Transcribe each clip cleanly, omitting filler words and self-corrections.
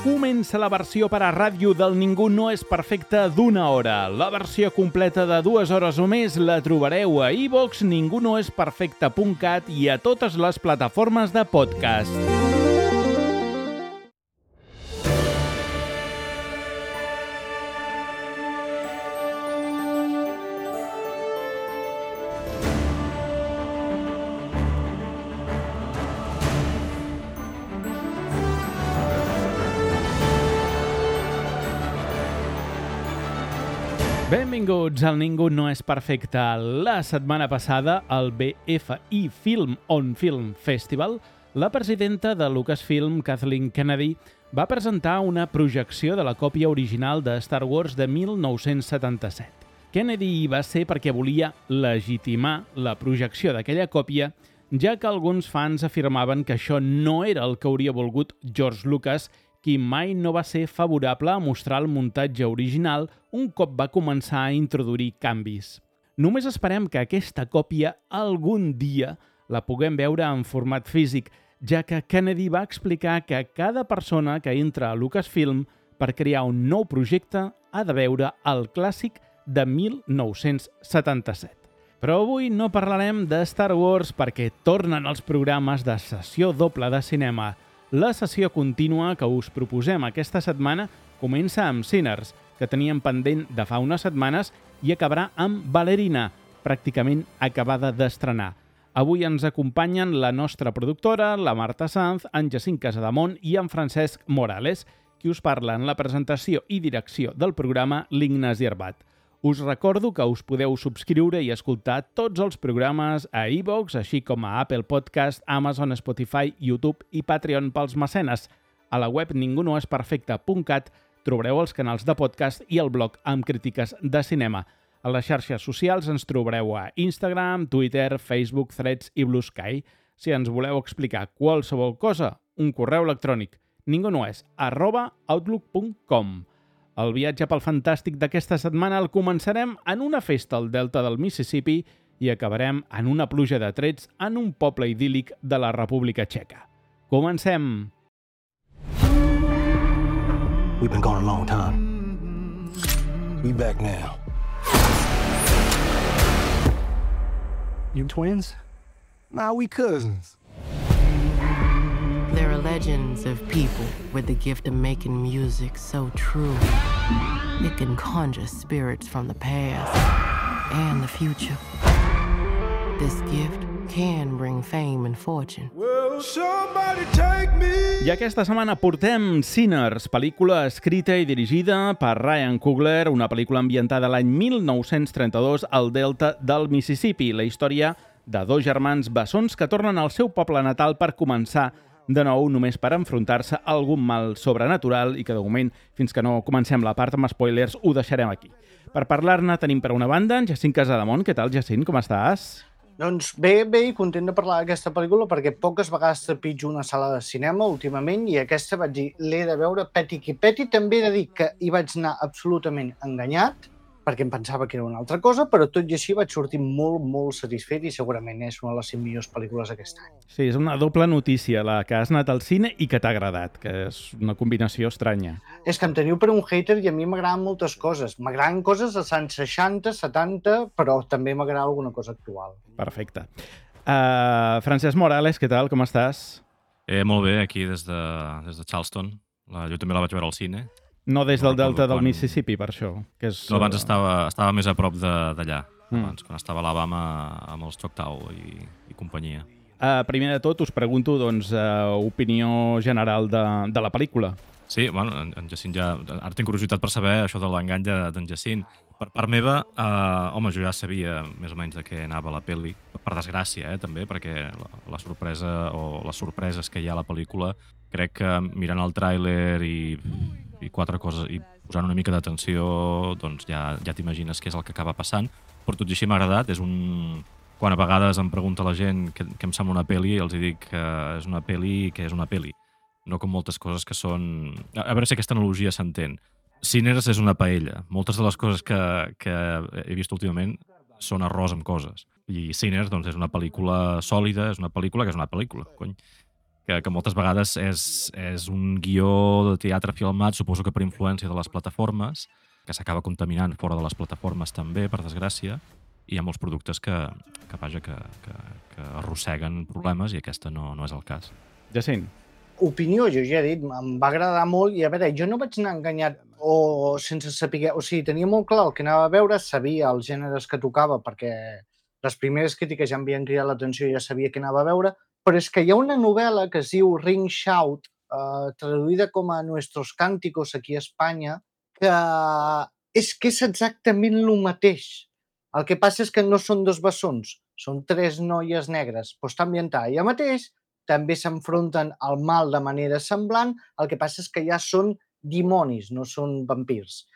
Comença la versió per a ràdio del Ningú no és perfecte d'una hora. La versió completa de 2 hores o més la trobareu a iVoox, ningunoesperfecte.cat i a totes les plataformes de podcast. Benvinguts al Ningú no és perfecte. La setmana passada, al BFI Film on Film Festival, la presidenta de Lucasfilm, Kathleen Kennedy, va presentar una projecció de la còpia original de Star Wars de 1977. Kennedy hi va ser perquè volia legitimar la projecció d'aquella còpia, ja que alguns fans afirmaven que això no era el que hauria volgut George Lucas, qui mai no va ser favorable a mostrar el muntatge original un cop va començar a introduir canvis. Només esperem que aquesta còpia algun dia la puguem veure en format físic, ja que Kennedy va explicar que cada persona que entra a Lucasfilm per crear un nou projecte ha de veure el clàssic de 1977. Però avui no parlarem de Star Wars perquè tornen els programes de sessió doble de cinema. La sessió contínua que us proposem aquesta setmana comença amb Sinners, que teníem pendent de fa unes setmanes, i acabarà amb Ballerina, pràcticament acabada d'estrenar. Avui ens acompanyen la nostra productora, la Marta Sanz, en Jacint Casademont i en Francesc Morales, qui us parla en la presentació i direcció del programa l'Ignasi Arbat. Us recordo que us podeu subscriure i escoltar tots els programes a iVoox, així com a Apple Podcast, Amazon, Spotify, YouTube i Patreon pels mecenes. A la web ningunoesperfecte.cat trobareu els canals de podcast i el blog amb crítiques de cinema. A les xarxes socials ens trobareu a Instagram, Twitter, Facebook, Threads i Blue Sky. Si ens voleu explicar qualsevol cosa, un correu electrònic ningunoes@outlook.com. El viatge pel fantàstic d'aquesta setmana el començarem en una festa al delta del Mississippi i acabarem en una pluja de trets en un poble idíl·lic de la República Txeca. Comencem! We've been gone a long time. We back now. You twins? Nah, we cousins. There are legends of people with the gift of making music so true. It can conjure spirits from the past and the future. This gift can bring fame and fortune. Well, somebody take me. I aquesta setmana portem Sinners, pel·lícula escrita i dirigida per Ryan Coogler, una pel·lícula ambientada l'any 1932 al delta del Mississippi, la història de dos germans bessons que tornen al seu poble natal per començar de nou només per enfrontar-se a algun mal sobrenatural i que de moment, fins que no comencem la part amb spoilers, ho deixarem aquí. Per parlar-ne tenim per una banda en Jacint Casademont. Què tal, Jacint? Com estàs? Doncs bé i content de parlar d'aquesta pel·lícula perquè poques vegades trepitjo una sala de cinema últimament i aquesta vaig dir, l'he de veure peti qui peti. També he de dir que hi vaig anar absolutament enganyat perquè em pensava que era una altra cosa, però tot i així vaig sortir molt satisfet i segurament és una de les 5 millors pel·lícules d'aquest any. Sí, és una doble notícia, la que has anat al cine i que t'ha agradat, que és una combinació estranya. És que em teniu per un hater i a mi m'agraden moltes coses. M'agraden coses dels anys 60, 70, però també m'agrada alguna cosa actual. Perfecte. Francesc Morales, què tal? Com estàs? Molt bé, aquí des de Charleston. Jo també la vaig veure al cine. No des del delta del Mississippi, per això. Que és, no, abans estava més a prop d'allà, abans, quan estava a Alabama amb els Choctaw i companyia. Primer de tot, us pregunto opinió general de la pel·lícula. Sí, bueno, en Jacint ja... Ara tinc curiositat per saber això de l'engany d'en Jacint. Per part meva, home, jo ja sabia més o menys de què anava la pel·li, per desgràcia, també, perquè la sorpresa o les sorpreses que hi ha a la pel·lícula, crec que mirant el tràiler i 4 coses i posant una mica d'atenció, doncs ja t'imagines què és el que acaba passant. Però tot i així m'ha agradat. Quan a vegades em pregunta la gent què em sembla una pel·li, els dic que és una pel·li que és una pel·li. No com moltes coses que són... A veure si aquesta analogia s'entén. Sinners és una paella. Moltes de les coses que he vist últimament són arròs amb coses. I Sinners doncs, és una pel·lícula sòlida, és una pel·lícula que és una pel·lícula, cony. que moltes vegades és un guió de teatre filmat, suposo que per influència de les plataformes, que s'acaba contaminant fora de les plataformes també, per desgràcia, i hi ha molts productes que arrosseguen problemes i aquesta no és el cas. Jacint. Opinió, jo ja he dit, em va agradar molt i a veure, jo no vaig anar enganyat o sense saber, o sigui, tenia molt clar el que anava a veure, sabia els gèneres que tocava perquè les primeres crítiques ja m'havien cridat l'atenció i ja sabia què anava a veure, però és que hi ha una novel·la que es diu Ring Shout, traduïda com a Nuestros Cánticos aquí a Espanya, que és exactament el mateix. El que passa és que no són dos bessons, són tres noies negres, però està ambientada allà mateix, també s'enfronten al mal de manera semblant, el que passa és que ja són dimonis, no són vampirs.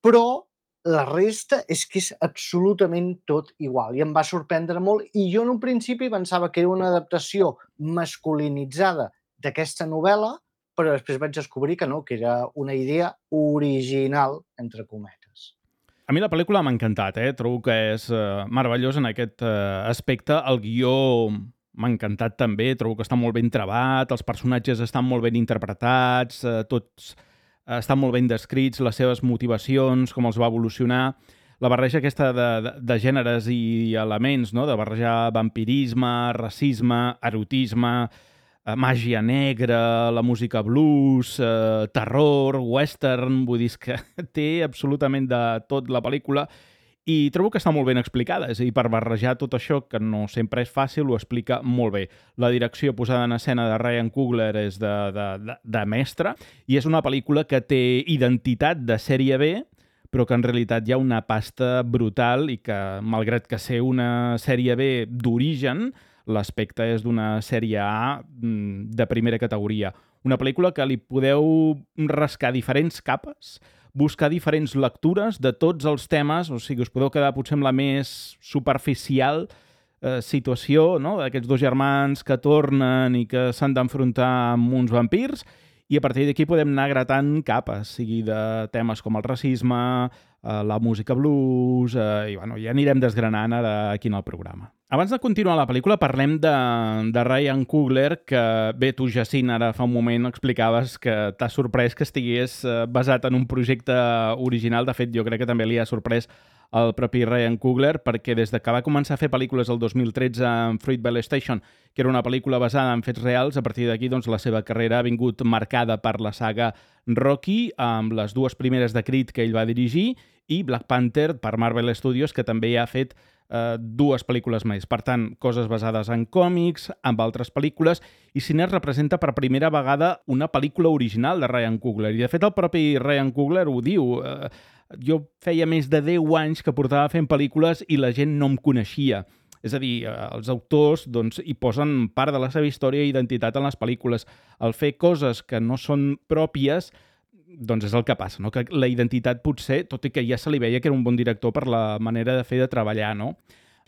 Però la resta és que és absolutament tot igual i em va sorprendre molt i jo en un principi pensava que era una adaptació masculinitzada d'aquesta novel·la, però després vaig descobrir que no, que era una idea original, entre cometes. A mi la pel·lícula m'ha encantat, trobo que és meravellós en aquest aspecte. El guió m'ha encantat també, trobo que està molt ben trebat, els personatges estan molt ben interpretats, tots estan molt ben descrits, les seves motivacions, com els va evolucionar. La barreja aquesta de gèneres i elements, no? De barrejar vampirisme, racisme, erotisme, màgia negra, la música blues, terror, western, vull dir que té absolutament de tot la pel·lícula i trobo que està molt ben explicada, és a dir, per barrejar tot això, que no sempre és fàcil, ho explica molt bé. La direcció posada en escena de Ryan Coogler és de mestre i és una pel·lícula que té identitat de sèrie B, però que en realitat hi ha una pasta brutal i que, malgrat que ser una sèrie B d'origen, l'aspecte és d'una sèrie A de primera categoria. Una pel·lícula que li podeu rascar diferents capes, buscar diferents lectures de tots els temes, o sigui, us podeu quedar potser amb la més superficial situació, no?, d'aquests dos germans que tornen i que s'han d'enfrontar amb uns vampirs, i a partir d'aquí podem anar gratant capes, sigui de temes com el racisme, la música blues, i bueno, ja anirem desgranant ara aquí en el programa. Abans de continuar la pel·lícula, parlem de Ryan Coogler, que bé, tu, Jacint, ara fa un moment explicaves que t'ha sorprès que estigués basat en un projecte original. De fet, jo crec que també li ha sorprès el propi Ryan Coogler, perquè des que va començar a fer pel·lícules el 2013 amb Fruitvale Station, que era una pel·lícula basada en fets reals, a partir d'aquí doncs, la seva carrera ha vingut marcada per la saga Rocky, amb les dues primeres de Creed que ell va dirigir, i Black Panther per Marvel Studios, que també ha fet dues pel·lícules més. Per tant, coses basades en còmics, amb altres pel·lícules, i Cine representa per primera vegada una pel·lícula original de Ryan Coogler. I de fet el propi Ryan Coogler ho diu. Jo feia més de 10 anys que portava fent pel·lícules i la gent no em coneixia. És a dir, els autors doncs, hi posen part de la seva història i identitat en les pel·lícules. El fer coses que no són pròpies doncs és el que passa, no? Que la identitat potser, tot i que ja se li veia que era un bon director per la manera de fer de treballar, no?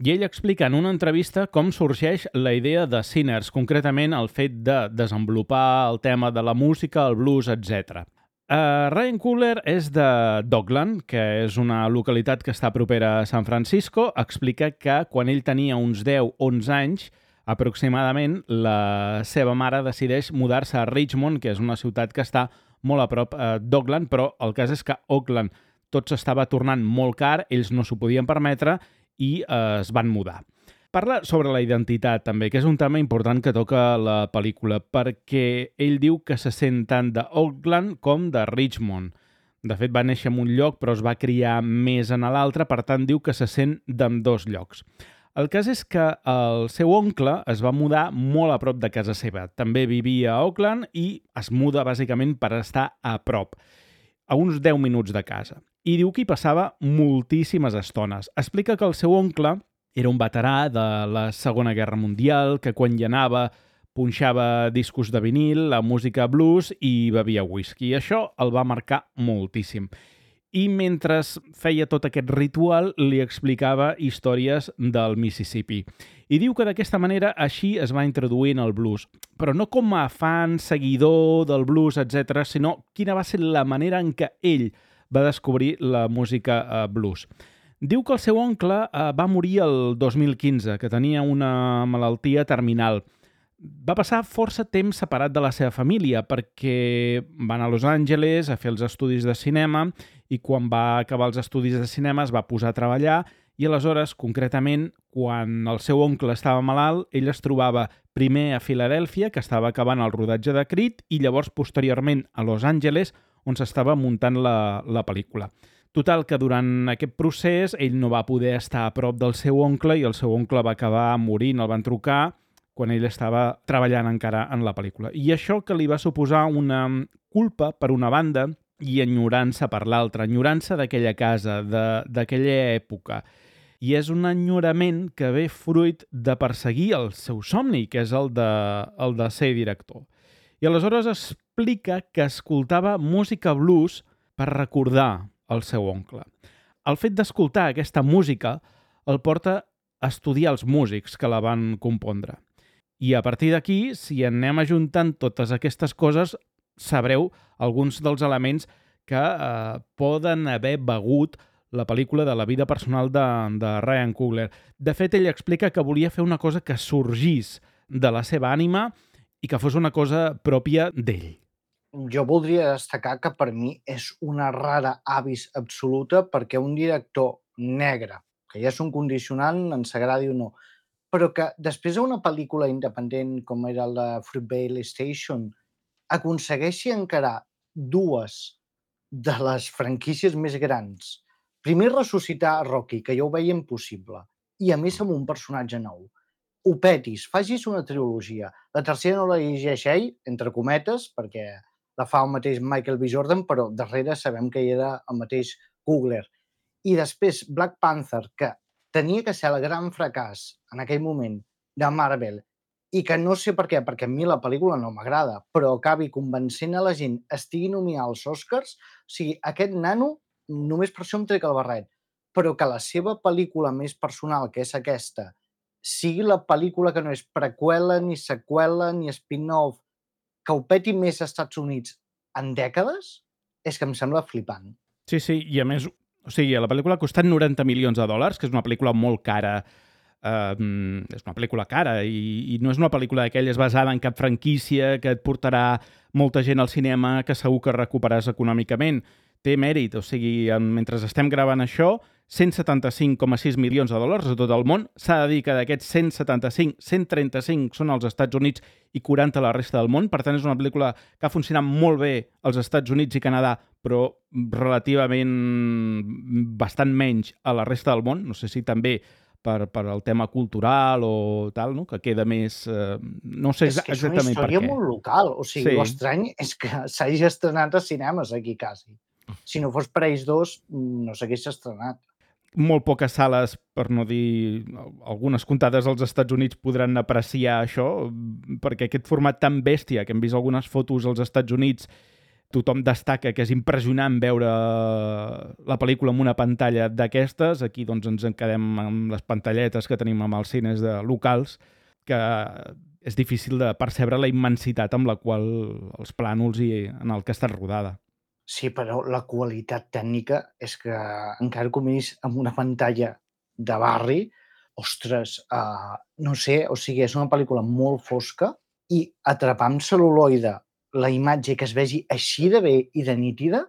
I ell explica en una entrevista com sorgeix la idea de Sinners, concretament el fet de desenvolupar el tema de la música, el blues, etc. Ryan Coogler és de Dockland, que és una localitat que està propera a San Francisco. Explica que quan ell tenia uns 10-11 anys, aproximadament, la seva mare decideix mudar-se a Richmond, que és una ciutat que està molt a prop d'Oakland, però el cas és que Oakland tot s'estava tornant molt car, ells no s'ho podien permetre i es van mudar. Parla sobre la identitat també, que és un tema important que toca la pel·lícula, perquè ell diu que se sent tant d'Oakland com de Richmond. De fet, va néixer en un lloc, però es va criar més en l'altre, per tant, diu que se sent d'ambdós llocs. El cas és que el seu oncle es va mudar molt a prop de casa seva. També vivia a Oakland i es muda bàsicament per estar a prop, a uns 10 minuts de casa. I diu que hi passava moltíssimes estones. Explica que el seu oncle era un veterà de la Segona Guerra Mundial, que quan hi anava punxava discos de vinil, la música blues i bevia whisky. I això el va marcar moltíssim. I mentre feia tot aquest ritual li explicava històries del Mississippi. I diu que d'aquesta manera així es va introduir en el blues, però no com a fan, seguidor del blues, etc., sinó quina va ser la manera en què ell va descobrir la música blues. Diu que el seu oncle va morir el 2015, que tenia una malaltia terminal. va passar força temps separat de la seva família perquè va anar a Los Angeles a fer els estudis de cinema i quan va acabar els estudis de cinema es va posar a treballar i aleshores, concretament, quan el seu oncle estava malalt, ell es trobava primer a Filadèlfia, que estava acabant el rodatge de Creed, i llavors, posteriorment, a Los Angeles, on s'estava muntant la pel·lícula. Total, que durant aquest procés ell no va poder estar a prop del seu oncle i el seu oncle va acabar morint, el van trucar quan ell estava treballant encara en la pel·lícula. I això que li va suposar una culpa per una banda i enyorança per l'altra, enyorança d'aquella casa, d'aquella època. I és un enyorament que ve fruit de perseguir el seu somni, que és el de ser director. I aleshores explica que escoltava música blues per recordar el seu oncle. El fet d'escoltar aquesta música el porta a estudiar els músics que la van compondre. I a partir d'aquí, si anem ajuntant totes aquestes coses, sabreu alguns dels elements que poden haver begut la pel·lícula de la vida personal de Ryan Coogler. De fet, ell explica que volia fer una cosa que sorgís de la seva ànima i que fos una cosa pròpia d'ell. Jo voldria destacar que per mi és una rara avis absoluta perquè un director negre, que ja és un condicionant, ens agradi o no, però que després d'una pel·lícula independent com era la Fruitvale Station aconsegueixi encarar dues de les franquícies més grans. Primer ressuscitar Rocky, que ja ho veia impossible, i a més amb un personatge nou. Ho petis, facis una trilogia. La tercera no la llegeix ell, entre cometes, perquè la fa el mateix Michael B. Jordan, però darrere sabem que hi era el mateix Coogler. I després Black Panther, que tenia que ser el gran fracàs en aquell moment de Marvel, i que no sé per què, perquè a mi la pel·lícula no m'agrada, però acabi convencent a la gent, estigui nominat als Oscars, o sigui, aquest nano només per això em trec el barret, però que la seva pel·lícula més personal, que és aquesta, sigui la pel·lícula que no és preqüela, ni seqüela, ni spin-off, que ho peti més als Estats Units en dècades, és que em sembla flipant. Sí, i a més, o sigui, la pel·lícula ha costat 90 milions de dòlars, que és una pel·lícula molt cara, és una pel·lícula cara i no és una pel·lícula d'aquelles basada en cap franquícia que et portarà molta gent al cinema que segur que recuperaràs econòmicament. Té mèrit, o sigui, mentre estem gravant això, 175,6 milions de dòlars a tot el món. S'ha de dir que d'aquests 175, 135 són als Estats Units i 40 a la resta del món. Per tant, és una pel·lícula que ha funcionat molt bé als Estats Units i Canadà, però relativament bastant menys a la resta del món. No sé si també per el tema cultural o tal, no? Que queda més... no sé exactament per què. És una història molt local. O sigui, l'estrany és que s'hagi estrenat a cinemes aquí, quasi. Si no fos per ells dos, no s'hagués estrenat. Molt poques sales, per no dir algunes comptades als Estats Units, podran apreciar això, perquè aquest format tan bèstia, que hem vist algunes fotos als Estats Units, tothom destaca que és impressionant veure la pel·lícula en una pantalla d'aquestes. Aquí doncs, ens en quedem amb les pantalletes que tenim amb els cines locals, que és difícil de percebre la immensitat amb la qual els plànols i en el que ha estat rodada. Sí, però la qualitat tècnica és que encara que ho miris amb una pantalla de barri, ostres, no sé, o sigui, és una pel·lícula molt fosca i atrapar amb cel·luloide la imatge que es vegi així de bé i de nítida,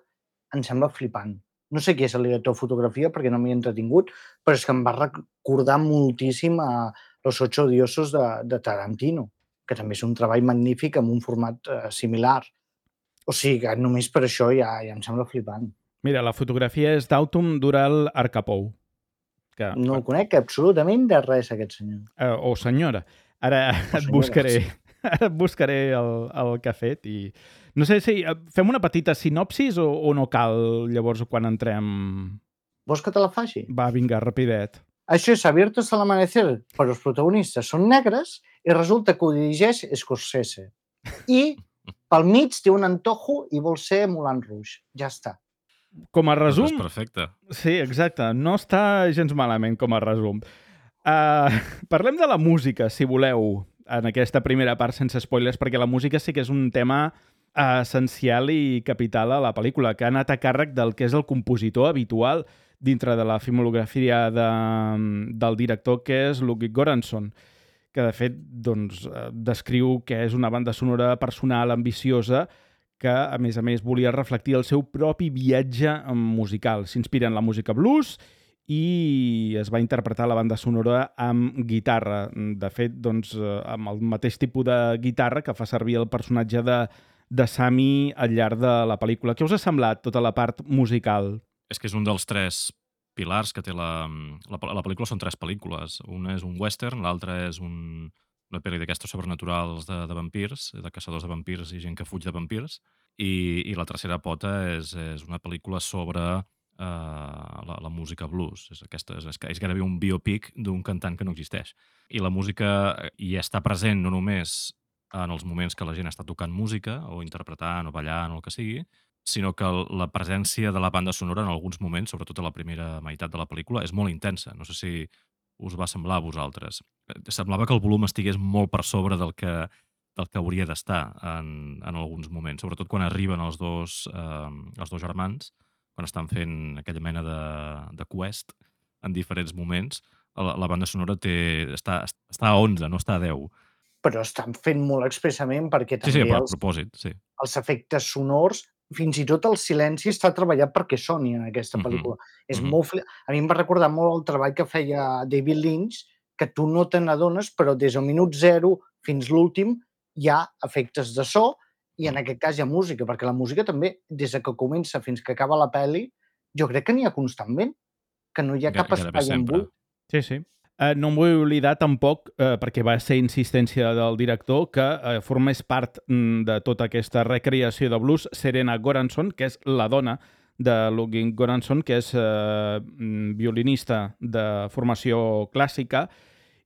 em sembla flipant. No sé qui és el director de fotografia perquè no m'hi he entretingut, però és que em va recordar moltíssim a Los Ocho Odiosos de Tarantino, que també és un treball magnífic amb un format similar. O sigui que només per això ja em sembla flipant. Mira, la fotografia és d'Autumn Dural Arcapou. Que, no el conec absolutament de res, aquest senyor. O senyora. Ara et buscaré... Ara et buscaré el que ha fet i... No sé si fem una petita sinopsis o no cal llavors quan entrem... Vols que te la faci? Va, vinga, rapidet. Això és Abierto hasta el amanecer, però els protagonistes són negres i resulta que ho dirigeix Scorsese. I pel mig té un antojo i vol ser Moulin Rouge. Ja està. Com a resum... És perfecte. Sí, exacte. No està gens malament com a resum. Parlem de la música, si voleu, en aquesta primera part sense spoilers, perquè la música sí que és un tema essencial i capital a la pel·lícula, que ha anat a càrrec del que és el compositor habitual dintre de la filmografia del director, que és Ludwig Göransson, que de fet doncs, descriu que és una banda sonora personal, ambiciosa, que a més volia reflectir el seu propi viatge musical. S'inspira en la música blues i es va interpretar la banda sonora amb guitarra. De fet, doncs, amb el mateix tipus de guitarra que fa servir el personatge de Sammy al llarg de la pel·lícula. Què us ha semblat tota la part musical? És que és un dels 3 pilars que té la pel·lícula. Són 3 pel·lícules. Una és un western, l'altra és una pel·li d'aquestes sobrenaturals de vampirs, de caçadors de vampirs i gent que fuig de vampirs, i la tercera pota és una pel·lícula sobre la música blues. És gairebé un biopic d'un cantant que no existeix. I la música hi està present no només en els moments que la gent està tocant música, o interpretant, o ballant, o el que sigui, sinó que la presència de la banda sonora en alguns moments, sobretot a la primera meitat de la pel·lícula, és molt intensa. No sé si us va semblar a vosaltres. Semblava que el volum estigués molt per sobre del que hauria d'estar en alguns moments, sobretot quan arriben els dos germans, quan estan fent aquella mena de quest en diferents moments. La banda sonora està a 11, no està a 10. Però estan fent molt expressament perquè també Sí, però a propòsit, sí. Els efectes sonors, fins i tot el silenci està treballat perquè soni en aquesta pel·lícula. És molt a mi em va recordar molt el treball que feia David Lynch, que tu no te n'adones, però des del minut 0 fins l'últim hi ha efectes de so i en aquest cas hi ha música, perquè la música també, des que comença fins que acaba la pel·li, jo crec que n'hi ha constantment, que no hi ha cap espai en buit. Sí. No em vull oblidar tampoc, perquè va ser insistència del director, que formés part de tota aquesta recreació de blues Serena Goranson, que és la dona de Ludwig Göransson, que és violinista de formació clàssica,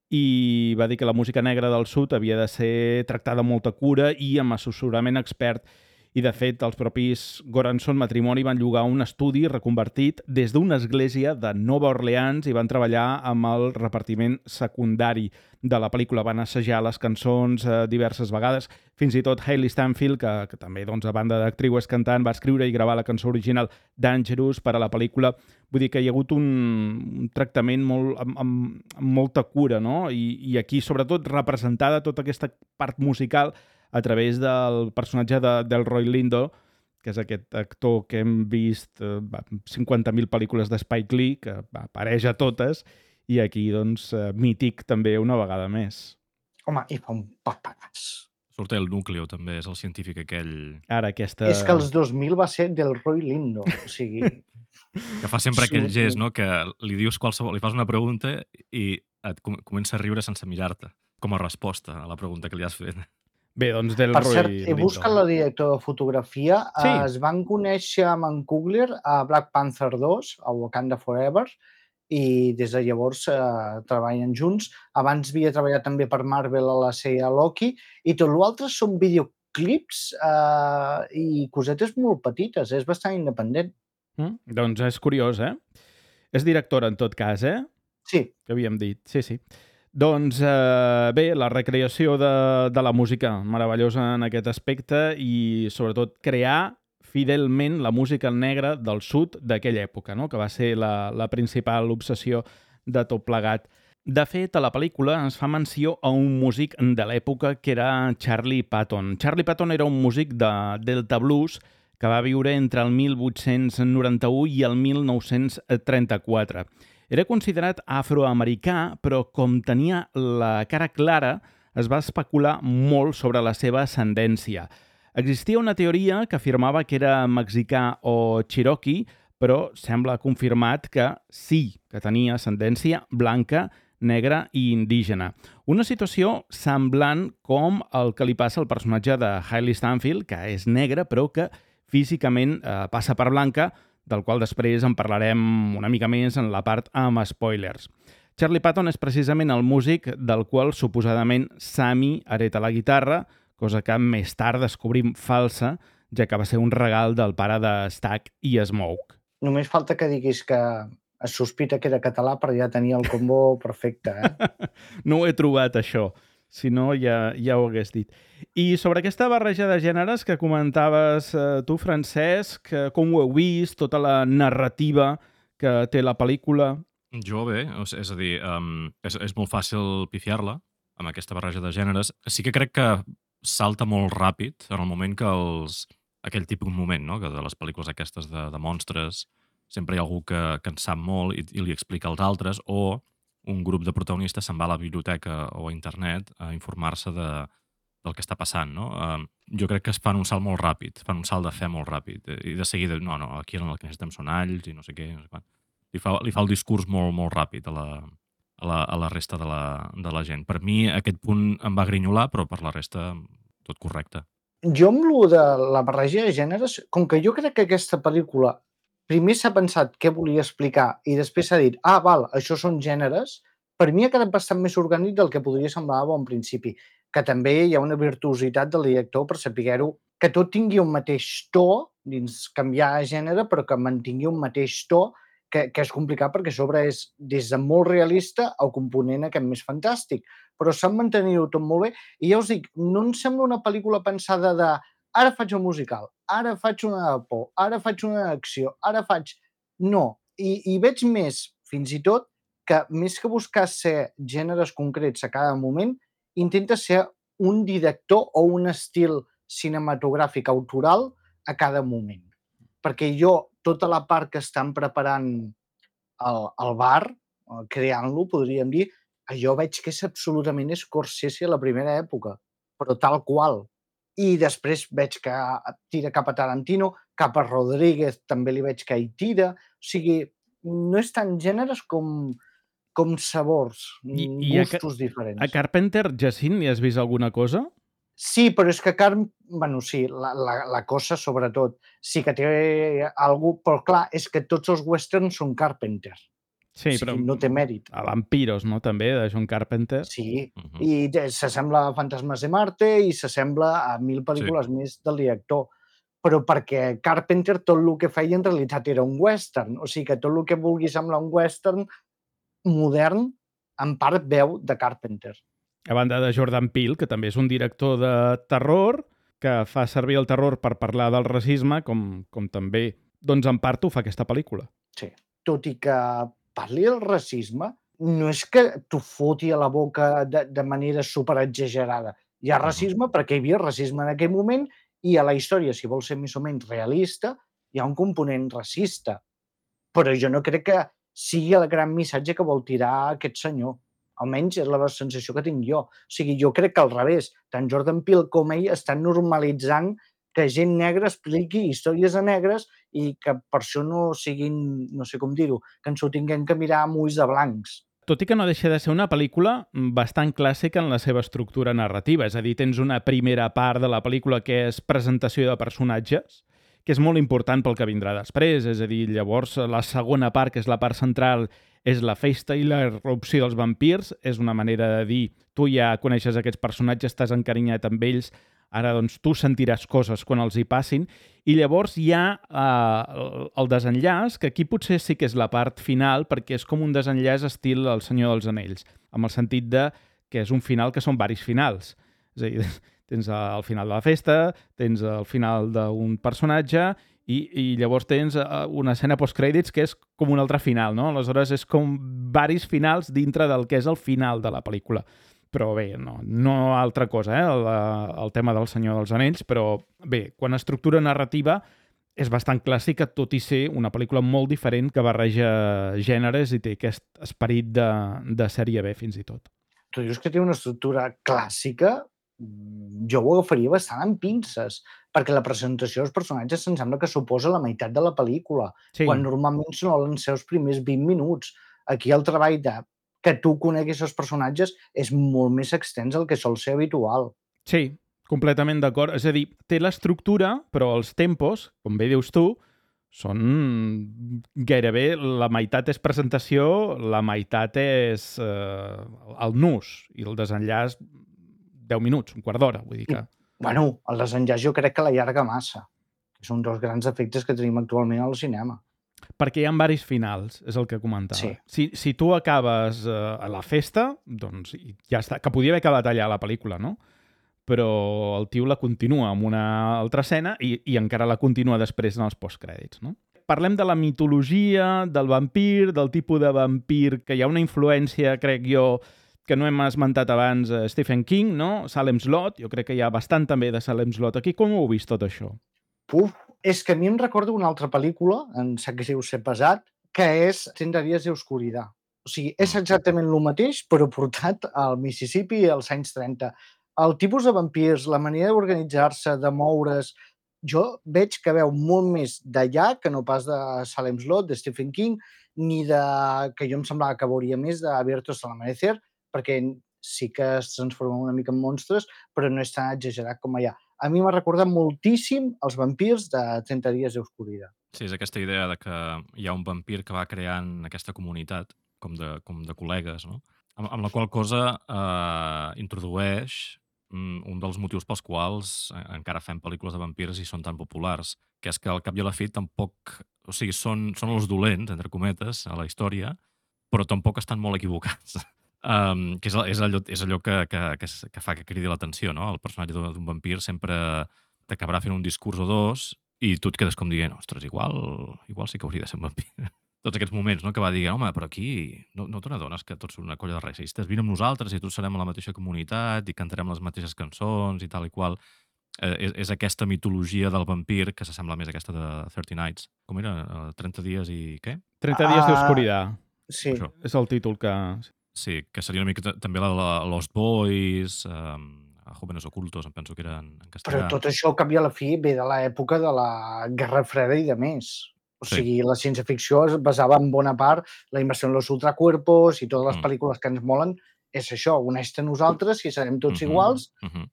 i va dir que la música negra del sud havia de ser tractada amb molta cura i amb assessorament expert. I, de fet, els propis Goranson matrimoni van llogar un estudi reconvertit des d'una església de Nova Orleans i van treballar amb el repartiment secundari de la pel·lícula. Van assajar les cançons diverses vegades. Fins i tot Hailey Stanfield, que també, doncs, a banda d'actriu és cantant, va escriure i gravar la cançó original Dangerous per a la pel·lícula. Vull dir que hi ha hagut un tractament amb molta cura, no? I aquí, sobretot, representada tota aquesta part musical a través del personatge del Roy Lindo, que és aquest actor que hem vist 50.000 pel·lícules de Spike Lee, que apareix a totes, i aquí, doncs, mític també una vegada més. Home, i fa un papagàs. Surt el Núcleo, també, és el científic aquell... Ara, aquesta... És que els 2000 va ser del Roy Lindo, o sigui... Que fa sempre aquell gest, no?, que li dius qualsevol... Li fas una pregunta i et comença a riure sense mirar-te, com a resposta a la pregunta que li has fet. Bé, doncs del Per Roy cert, Lindo. he buscat la directora de fotografia. Sí. Es van conèixer amb en Coogler a Black Panther 2, a Wakanda Forever, i des de llavors treballen junts. Abans havia treballat també per Marvel a la sèrie Loki, i tot l'altre són videoclips i cosetes molt petites. És bastant independent. Doncs és curiós, eh? És directora, en tot cas, eh? Sí. Que havíem dit, sí. Doncs bé, la recreació de la música meravellosa en aquest aspecte i sobretot crear fidelment la música negra del sud d'aquella època, no? Que va ser la principal obsessió de tot plegat. De fet, a la pel·lícula ens fa menció a un músic de l'època que era Charlie Patton. Charlie Patton era un músic de Delta Blues que va viure entre el 1891 i el 1934. Era considerat afroamericà, però com tenia la cara clara, es va especular molt sobre la seva ascendència. Existia una teoria que afirmava que era mexicà o cherokee, però sembla confirmat que sí, que tenia ascendència blanca, negra i indígena. Una situació semblant com el que li passa al personatge de Hailey Stanfield, que és negra, però que físicament passa per blanca, del qual després en parlarem una mica més en la part amb spoilers. Charlie Patton és precisament el músic del qual suposadament Sammy hereta la guitarra, cosa que més tard descobrim falsa, ja que va ser un regal del pare de Stack i Smoke. Només falta que diguis que es sospita que era català per ja tenir el combo perfecte, eh? No ho he trobat, això. Si no, ja ho hagués dit. I sobre aquesta barreja de gèneres que comentaves tu, Francesc, com ho heu vist, tota la narrativa que té la pel·lícula? Jo bé, és a dir, és molt fàcil pifiar-la, amb aquesta barreja de gèneres. Sí que crec que salta molt ràpid en el moment que aquell típic moment, no? Que de les pel·lícules aquestes de monstres sempre hi ha algú que en sap molt i li explica als altres, o un grup de protagonistes se'n va a la biblioteca o a internet a informar-se del que està passant, no? Jo crec que es fan un salt molt ràpid, fan un salt de fe molt ràpid, i de seguida, no, aquí el que necessitem són alls i no sé què, no sé quant. Li fa el discurs molt ràpid a la resta de la gent. Per mi aquest punt em va grinyolar, però per la resta tot correcte. Jo amb lo de la barreja de gèneres, com que jo crec que aquesta pel·lícula primer s'ha pensat què volia explicar i després s'ha dit, val, això són gèneres, per mi ha quedat bastant més orgànic del que podria semblar a bon principi, que també hi ha una virtuositat del director per saber-ho, que tot tingui un mateix to, dins canviar gènere, però que mantingui un mateix to, que és complicat perquè a sobre és des de molt realista al component aquest més fantàstic, però sap mantenir-ho tot molt bé i ja us dic, no em sembla una pel·lícula pensada de ara faig un musical, ara faig una de por, ara faig una d'acció, ara faig... No, i veig més, fins i tot, que més que buscar ser gèneres concrets a cada moment, intenta ser un director o un estil cinematogràfic autoral a cada moment. Perquè jo, tota la part que estan preparant al bar, creant-lo, podríem dir, jo veig que és absolutament Scorsese a la primera època, però tal qual. I després veig que tira cap a Tarantino, cap a Rodríguez també li veig que hi tira. O sigui, no és tant gèneres com sabors, gustos diferents. A Carpenter, Jacint, hi has vist alguna cosa? Sí, però és que sí, la cosa, sobretot, sí que té alguna cosa, però clar, és que tots els westerns són Carpenter. Sí, o sigui, però no té mèrit. A Vampiros, no?, també, de John Carpenter. Sí, i s'assembla a Fantasmes de Marte i s'assembla a 1000 pel·lícules més del director. Però perquè Carpenter tot el que feia en realitat era un western. O sigui que tot el que vulgui semblar un western modern, en part veu de Carpenter. A banda de Jordan Peele, que també és un director de terror, que fa servir el terror per parlar del racisme, com també, doncs en part ho fa aquesta pel·lícula. Sí, tot i que parli del racisme, no és que t'ho foti a la boca de manera superexagerada. Hi ha racisme perquè hi havia racisme en aquell moment i a la història, si vol ser més o menys realista, hi ha un component racista. Però jo no crec que sigui el gran missatge que vol tirar aquest senyor. Almenys és la sensació que tinc jo. O sigui, jo crec que al revés, tant Jordan Peele com ell estan normalitzant que gent negra expliqui històries de negres i que per això no siguin, no sé com dir-ho, que ens ho tinguem que mirar amb ulls de blancs. Tot i que no deixa de ser una pel·lícula bastant clàssica en la seva estructura narrativa. És a dir, tens una primera part de la pel·lícula que és presentació de personatges, que és molt important pel que vindrà després. És a dir, llavors la segona part, que és la part central, és la festa i la irrupció dels vampirs. És una manera de dir, tu ja coneixes aquests personatges, estàs encarinyat amb ells, ara doncs tu sentiràs coses quan els hi passin. I llavors hi ha el desenllaç, que aquí potser sí que és la part final, perquè és com un desenllaç estil El Senyor dels Anells, amb el sentit de que és un final que són varis finals. És a dir, tens el final de la festa, tens el final d'un personatge i llavors tens una escena postcrèdits que és com un altre final, no? Aleshores és com varis finals dintre del que és el final de la pel·lícula. Però bé, no altra cosa, el tema del Senyor dels Anells, però bé, quan estructura narrativa és bastant clàssica, tot i ser una pel·lícula molt diferent que barreja gèneres i té aquest esperit de sèrie B fins i tot. Tu dius que té una estructura clàssica, jo ho agafaria bastant amb pinces, perquè la presentació dels personatges em sembla que suposa la meitat de la pel·lícula, quan normalment solen ser els primers 20 minuts. Aquí el treball que tu coneguis els personatges és molt més extens del que sol ser habitual. Sí, completament d'acord. És a dir, té l'estructura, però els tempos, com bé dius tu, són gairebé la meitat és presentació, la meitat és el nus i el desenllaç 10 minuts, un quart d'hora, vull dir que... Bueno, el desenllaç jo crec que l'allarga massa. És un dels grans efectes que tenim actualment al cinema. Perquè hi ha varis finals, és el que comentava. Sí. Si tu acabes a la festa, doncs ja està. Que podia haver acabat allà la pel·lícula, no? Però el tio la continua amb una altra escena i encara la continua després en els postcrèdits, no? Parlem de la mitologia, del vampir, del tipus de vampir, que hi ha una influència, crec jo, que no hem esmentat abans Stephen King, no? Salem's Lot, jo crec que hi ha bastant també de Salem's Lot aquí. Com ho heu vist tot això? És que a mi em recorda una altra pel·lícula, em sap greu ser pesat, que és 30 dies de oscuridad. O sigui, és exactament el mateix, però portat al Mississippi als anys 30. El tipus de vampirs, la manera d'organitzar-se, de moure's, jo veig que veu molt més d'allà que no pas de Salem's Lot, de Stephen King, ni de... que jo em semblava que veuria més d'Abiertos al Amanecer, perquè sí que es transformen una mica en monstres, però no és tan exagerat com allà. A mi m'ha recordat moltíssim els vampirs de 30 dies d'oscuridad. Sí, és aquesta idea de que hi ha un vampir que va creant aquesta comunitat, com de col·legues, no? Amb la qual cosa introdueix un dels motius pels quals encara fem pel·lícules de vampirs i són tan populars, que és que al cap i a la fi tampoc... O sigui, són els dolents, entre cometes, a la història, però tampoc estan molt equivocats. Que és allò que fa que cridi l'atenció, no? El personatge d'un vampir sempre t'acabarà fent un discurs o dos i tu et quedes com dient, ostres, igual sí que hauria de ser un vampir. Tots aquests moments, no?, que va dir, home, però aquí no te n'adones que tots són una colla de racistes, vine amb nosaltres i tots serem a la mateixa comunitat i cantarem les mateixes cançons i tal i qual. És aquesta mitologia del vampir que s'assembla més a aquesta de 30 Nights. Com era? 30 dies i què? 30 dies d'oscuridad. Sí. Això. És el títol que... Sí, que seria una mica també la de Lost Boys, Jóvenes Ocultos, em penso que eren en castellà. Però tot això, al cap i a la fi, ve de l'època de la Guerra Freda i de més. O sigui, la ciència-ficció es basava en bona part la inversió en los ultracuerpos i totes les pel·lícules que ens molen és això, uneix-te a nosaltres i serem tots iguals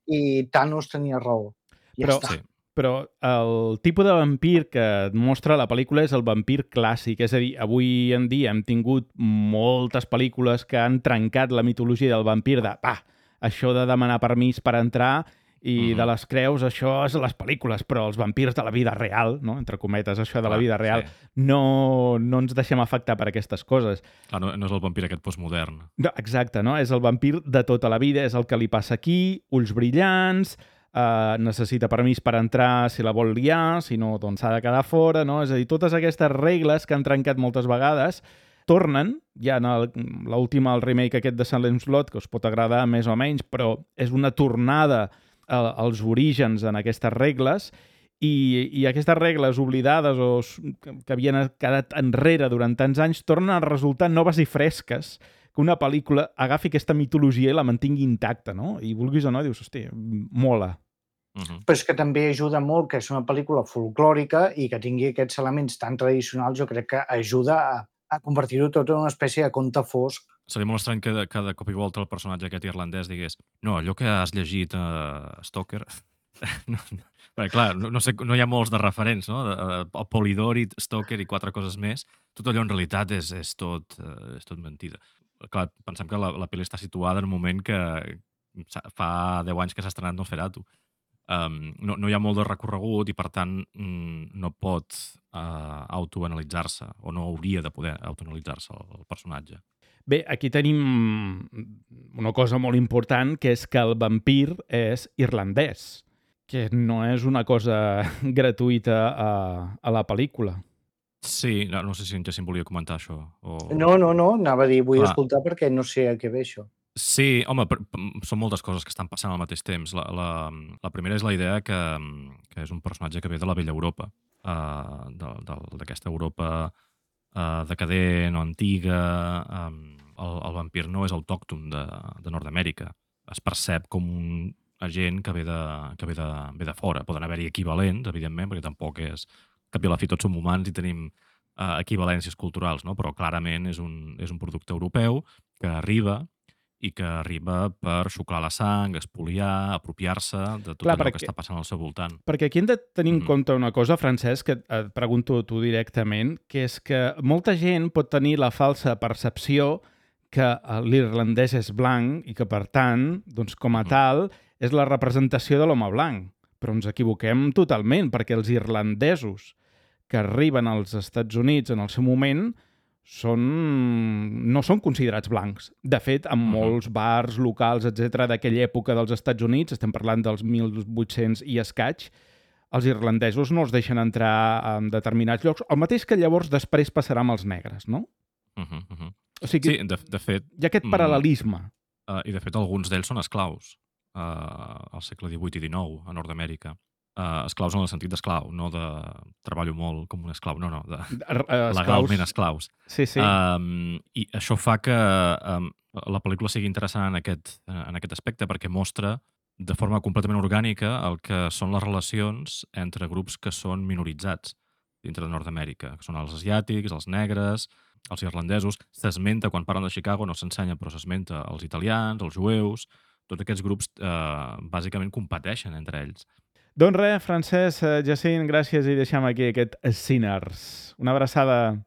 i Thanos tenia raó. Ja Però, està. Sí. però el tipus de vampir que et mostra la pel·lícula és el vampir clàssic. És a dir, avui en dia hem tingut moltes pel·lícules que han trencat la mitologia del vampir de, això de demanar permís per entrar i de les creus, això és les pel·lícules, però els vampirs de la vida real, no? Entre cometes, això de la vida real, no ens deixem afectar per aquestes coses. Clar, no és el vampir aquest postmodern. No, exacte, no? És el vampir de tota la vida, és el que li passa aquí, ulls brillants, necessita permís per entrar si la vol liar, si no, doncs s'ha de quedar fora, no? És a dir, totes aquestes regles que han trencat moltes vegades tornen, ja en l'última, el remake aquest de Salem's Lot, que us pot agradar més o menys, però és una tornada als orígens en aquestes regles i aquestes regles oblidades o que havien quedat enrere durant tants anys tornen a resultar noves i fresques, que una pel·lícula agafi aquesta mitologia i la mantingui intacta, no? I vulguis o no, dius, hosti, mola. Però és que també ajuda molt que és una pel·lícula folclòrica i que tingui aquests elements tan tradicionals, jo crec que ajuda a convertir-ho tot en una espècie de conte fosc. Seria molt estrany que de cop i volta el personatge aquest irlandès digués no, allò que has llegit Stoker... Perquè, clar, no hi ha molts de referents, no? El Polidori, Stoker i 4 coses més. Tot allò en realitat és tot mentida. Clar, pensem que la pel·li està situada en un moment que fa 10 anys que s'ha estrenat Nosferatu. No hi ha molt de recorregut i, per tant, no pot autoanalitzar-se o no hauria de poder autoanalitzar-se el personatge. Bé, aquí tenim una cosa molt important, que és que el vampir és irlandès, que no és una cosa gratuïta a la pel·lícula. Sí, no sé si en Jacint volia comentar això. No, anava a dir, vull escoltar perquè no sé a què ve això. Sí, home, són moltes coses que estan passant al mateix temps. La primera és la idea que és un personatge que ve de la vella Europa, d'aquesta Europa decadent o antiga. El vampir no és autòcton de Nord-Amèrica. Es percep com un agent que ve de fora. Poden haver-hi equivalents, evidentment, perquè tampoc és... Cap i a la fi tots som humans i tenim equivalències culturals, no? Però clarament és un producte europeu que arriba i que arriba per xuclar la sang, espoliar, apropiar-se de tot allò que està passant al seu voltant. Perquè aquí hem de tenir en compte una cosa, Francesc, que et pregunto tu directament, que és que molta gent pot tenir la falsa percepció que l'irlandès és blanc i que, per tant, doncs, com a tal, és la representació de l'home blanc. Però ens equivoquem totalment, perquè els irlandesos que arriben als Estats Units en el seu moment no són considerats blancs. De fet, en molts bars locals, etc d'aquella època dels Estats Units, estem parlant dels 1800 i escaig, els irlandesos no els deixen entrar en determinats llocs, el mateix que llavors després passarà amb els negres, no? O sigui, sí, de fet... Hi ha aquest paral·lelisme. i de fet alguns d'ells són esclaus al segle XVIII i XIX a Nord-Amèrica. Esclaus en el sentit d'esclau, no de treballo molt com un esclau, no, legalment esclaus. Sí. I això fa que la pel·lícula sigui interessant en aquest aspecte perquè mostra de forma completament orgànica el que són les relacions entre grups que són minoritzats dintre de Nord-Amèrica, que són els asiàtics, els negres, els irlandesos. S'esmenta, quan parlen de Chicago, no s'ensenya, però s'esmenta els italians, els jueus. Tots aquests grups bàsicament competeixen entre ells. Doncs res, Francesc, Jacint, gràcies i deixem aquí aquest Sinners. Una abraçada.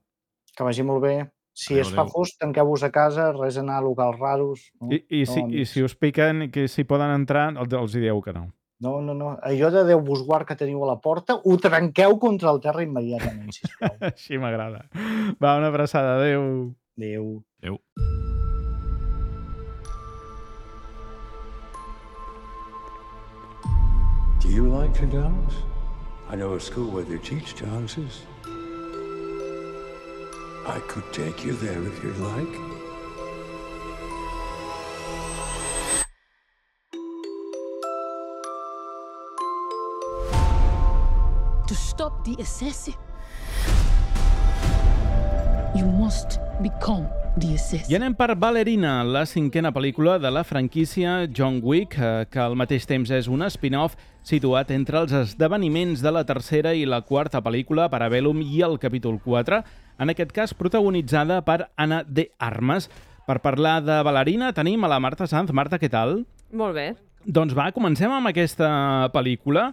Que vagi molt bé. Si es fa fosc, tanqueu-vos a casa, res anar a locals raros. No? I si us piquen i que si poden entrar, els dieu que no. No. Allò de Déu vos guard que teniu a la porta, ho trenqueu contra el terra immediatament, sisplau. Així m'agrada. Va, una abraçada. Adéu. Adéu. Adéu. Do you like to dance? I know a school where they teach dances. I could take you there if you'd like. To stop the assassin, you must become the assassin. I anem per Ballerina, la 5a pel·lícula de la franquícia John Wick, que al mateix temps és un spin-off situat entre els esdeveniments de la 3a i la 4a pel·lícula, Parabellum i el capítol 4, en aquest cas protagonitzada per Ana de Armas. Per parlar de Ballerina tenim a la Marta Sanz. Marta, què tal? Molt bé. Doncs va, comencem amb aquesta pel·lícula,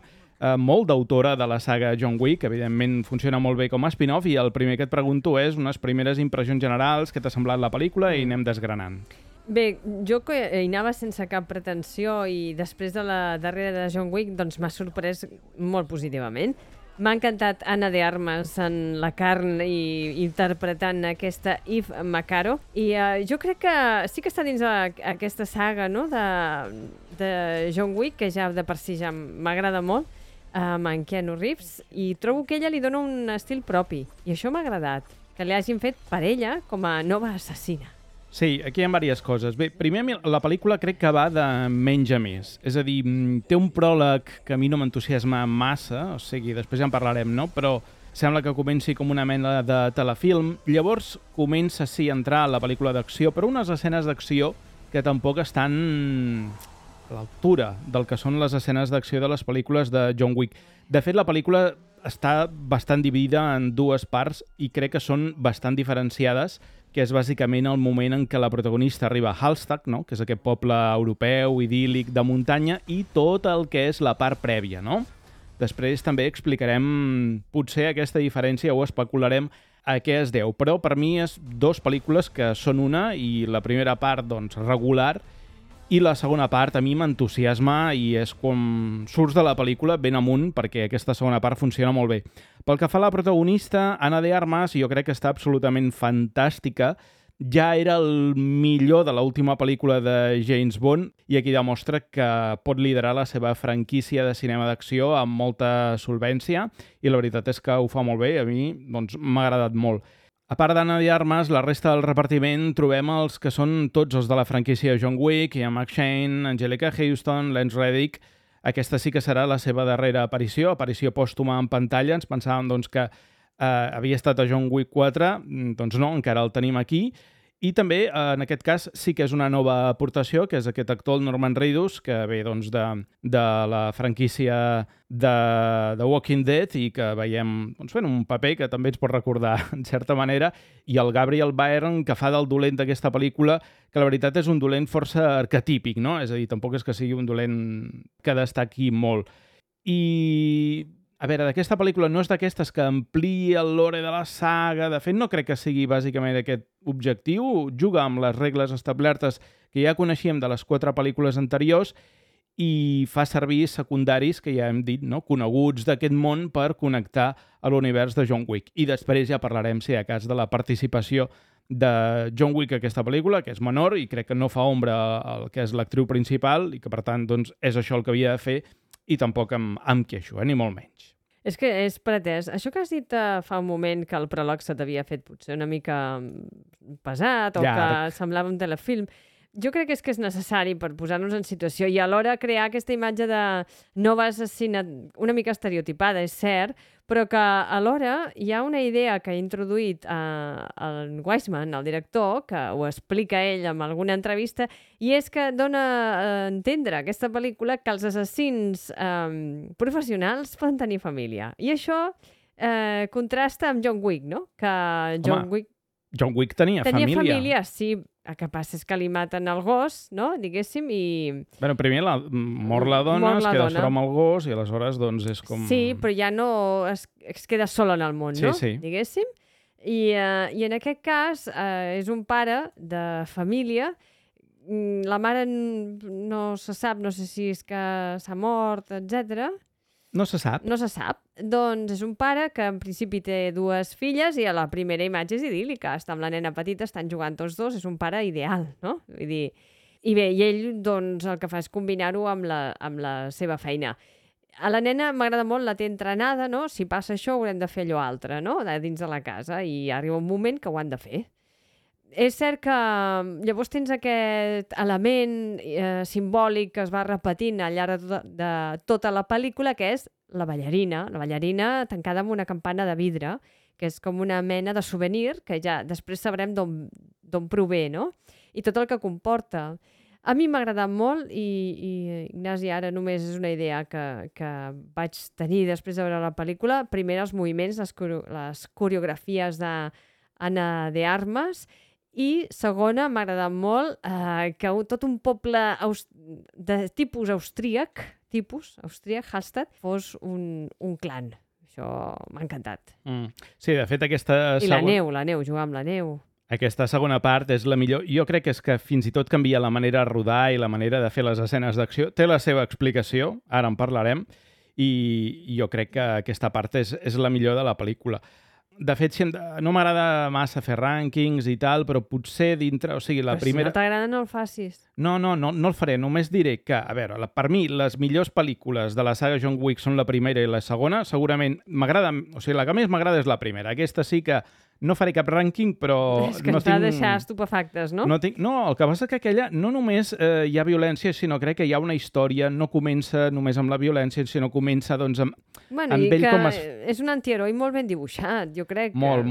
molt d'autora de la saga John Wick, evidentment funciona molt bé com a spin-off, i el primer que et pregunto és unes primeres impressions generals, què t'ha semblat la pel·lícula, i anem desgranant. Bé, jo que hi anava sense cap pretensió i després de la darrera de John Wick doncs m'ha sorprès molt positivament. M'ha encantat Ana de Armas en la carn i interpretant aquesta Eve McCaro. I jo crec que sí que està dins aquesta saga, no?, de John Wick, que ja de per si ja m'agrada molt, amb en Keanu Reeves, i trobo que ella li dona un estil propi. I això m'ha agradat, que li hagin fet per ella com a nova assassina. Sí, aquí hi ha diverses coses. Bé, primer, la pel·lícula crec que va de menys a més. És a dir, té un pròleg que a mi no m'entusiasma massa, o sigui, després ja en parlarem, no? Però sembla que comenci com una mena de telefilm. Llavors comença, sí, a entrar a la pel·lícula d'acció, però unes escenes d'acció que tampoc estan a l'altura del que són les escenes d'acció de les pel·lícules de John Wick. De fet, la pel·lícula està bastant dividida en dues parts i crec que són bastant diferenciades, que és bàsicament el moment en què la protagonista arriba a Hallstatt, no?, que és aquest poble europeu, idíl·lic, de muntanya, i tot el que és la part prèvia, no? Després també explicarem potser aquesta diferència o especularem a què es deu, però per mi és dues pel·lícules que són una, i la primera part, doncs, regular, i la segona part a mi m'entusiasma i és com surts de la pel·lícula ben amunt, perquè aquesta segona part funciona molt bé. Pel que fa a la protagonista, Ana de Armas, jo crec que està absolutament fantàstica. Ja era el millor de l'última pel·lícula de James Bond i aquí demostra que pot liderar la seva franquícia de cinema d'acció amb molta solvència i la veritat és que ho fa molt bé. A mi doncs, m'ha agradat molt. A part d'Ana de Armas, la resta del repartiment trobem els que són tots els de la franquícia John Wick, hi ha Max Shane, Angelica Houston, Lance Reddick. Aquesta sí que serà la seva darrera aparició pòstuma en pantalla. Ens pensàvem doncs, que havia estat a John Wick 4, doncs no, encara el tenim aquí. I també, en aquest cas, sí que és una nova aportació, que és aquest actor, Norman Reedus, que ve doncs, de la franquícia de The Walking Dead i que veiem doncs, fent un paper que també ens pot recordar, en certa manera, i el Gabriel Byrne, que fa del dolent d'aquesta pel·lícula, que la veritat és un dolent força arquetípic, no? És a dir, tampoc és que sigui un dolent que destaqui molt. I a veure, d'aquesta pel·lícula no és d'aquestes que ampliï el lore de la saga. De fet, no crec que sigui bàsicament aquest objectiu. Juga amb les regles establertes que ja coneixíem de les 4 pel·lícules anteriors i fa servir secundaris que ja hem dit, no?, coneguts d'aquest món per connectar a l'univers de John Wick. I després ja parlarem, si hi ha cas, de la participació de John Wick a aquesta pel·lícula, que és menor i crec que no fa ombra al que és l'actriu principal i que, per tant, doncs, és això el que havia de fer i tampoc em queixo, ni molt menys. És que és pretès. Això que has dit fa un moment que el pròleg se t'havia fet potser una mica pesat o llarg, que semblava un telefilm, jo crec que és necessari per posar-nos en situació i alhora crear aquesta imatge de nova assassina una mica estereotipada, és cert, però que alhora hi ha una idea que ha introduït el Weissman, el director, que ho explica ell en alguna entrevista, i és que dona a entendre aquesta pel·lícula que els assassins professionals poden tenir família. I això contrasta amb John Wick, no? Que John Wick tenia família. Sí. El que passa és que li maten el gos, no? Diguéssim, i... Bueno, primer mor la dona, es queda sola amb el gos i aleshores doncs és com... Sí, però ja no es queda sola en el món, no? Sí. Diguéssim. I en aquest cas és un pare de família. La mare no se sap, no sé si és que s'ha mort, etc. No se sap. No se sap. Doncs és un pare que en principi té 2 filles i a la primera imatge és idíl·lica. Està amb la nena petita, estan jugant tots dos, és un pare ideal, no? Vull dir... I bé, i ell doncs, el que fa és combinar-ho amb la seva feina. A la nena m'agrada molt, la té entrenada, no? Si passa això haurem de fer allò altre, no? Dins de la casa, i arriba un moment que ho han de fer. És cert que llavors tens aquest element simbòlic que es va repetint al llarg de tota la pel·lícula, que és la ballarina tancada amb una campana de vidre, que és com una mena de souvenir que ja després sabrem d'on prové, no? I tot el que comporta. A mi m'ha agradat molt i Ignasi, ara només és una idea que vaig tenir després de veure la pel·lícula. Primer, els moviments, les coreografies d'Anna de Armas, i segona, m'ha agradat molt que tot un poble de tipus austríac, Hallstatt, fos un clan. Això m'ha encantat. Sí, de fet, aquesta... I la neu, jugar amb la neu. Aquesta segona part és la millor. Jo crec que és que fins i tot canvia la manera de rodar i la manera de fer les escenes d'acció. Té la seva explicació, ara en parlarem, i jo crec que aquesta part és la millor de la pel·lícula. De fet, no m'agrada massa fer rànquings i tal, però potser dintre... O sigui, la primera... Si no t'agrada, no el facis. No el faré. Només diré que, a veure, per mi, les millors pel·lícules de la saga John Wick són la primera i la segona. Segurament m'agrada... O sigui, la que més m'agrada és la primera. Aquesta sí que no faré cap rànquing, però... És que ens va deixar estupefactes, no? No, el que passa és que aquella no només hi ha violència, sinó crec que hi ha una història, no comença només amb la violència, sinó comença doncs amb ell com es... És un antiheroi molt ben dibuixat, jo crec. Molt.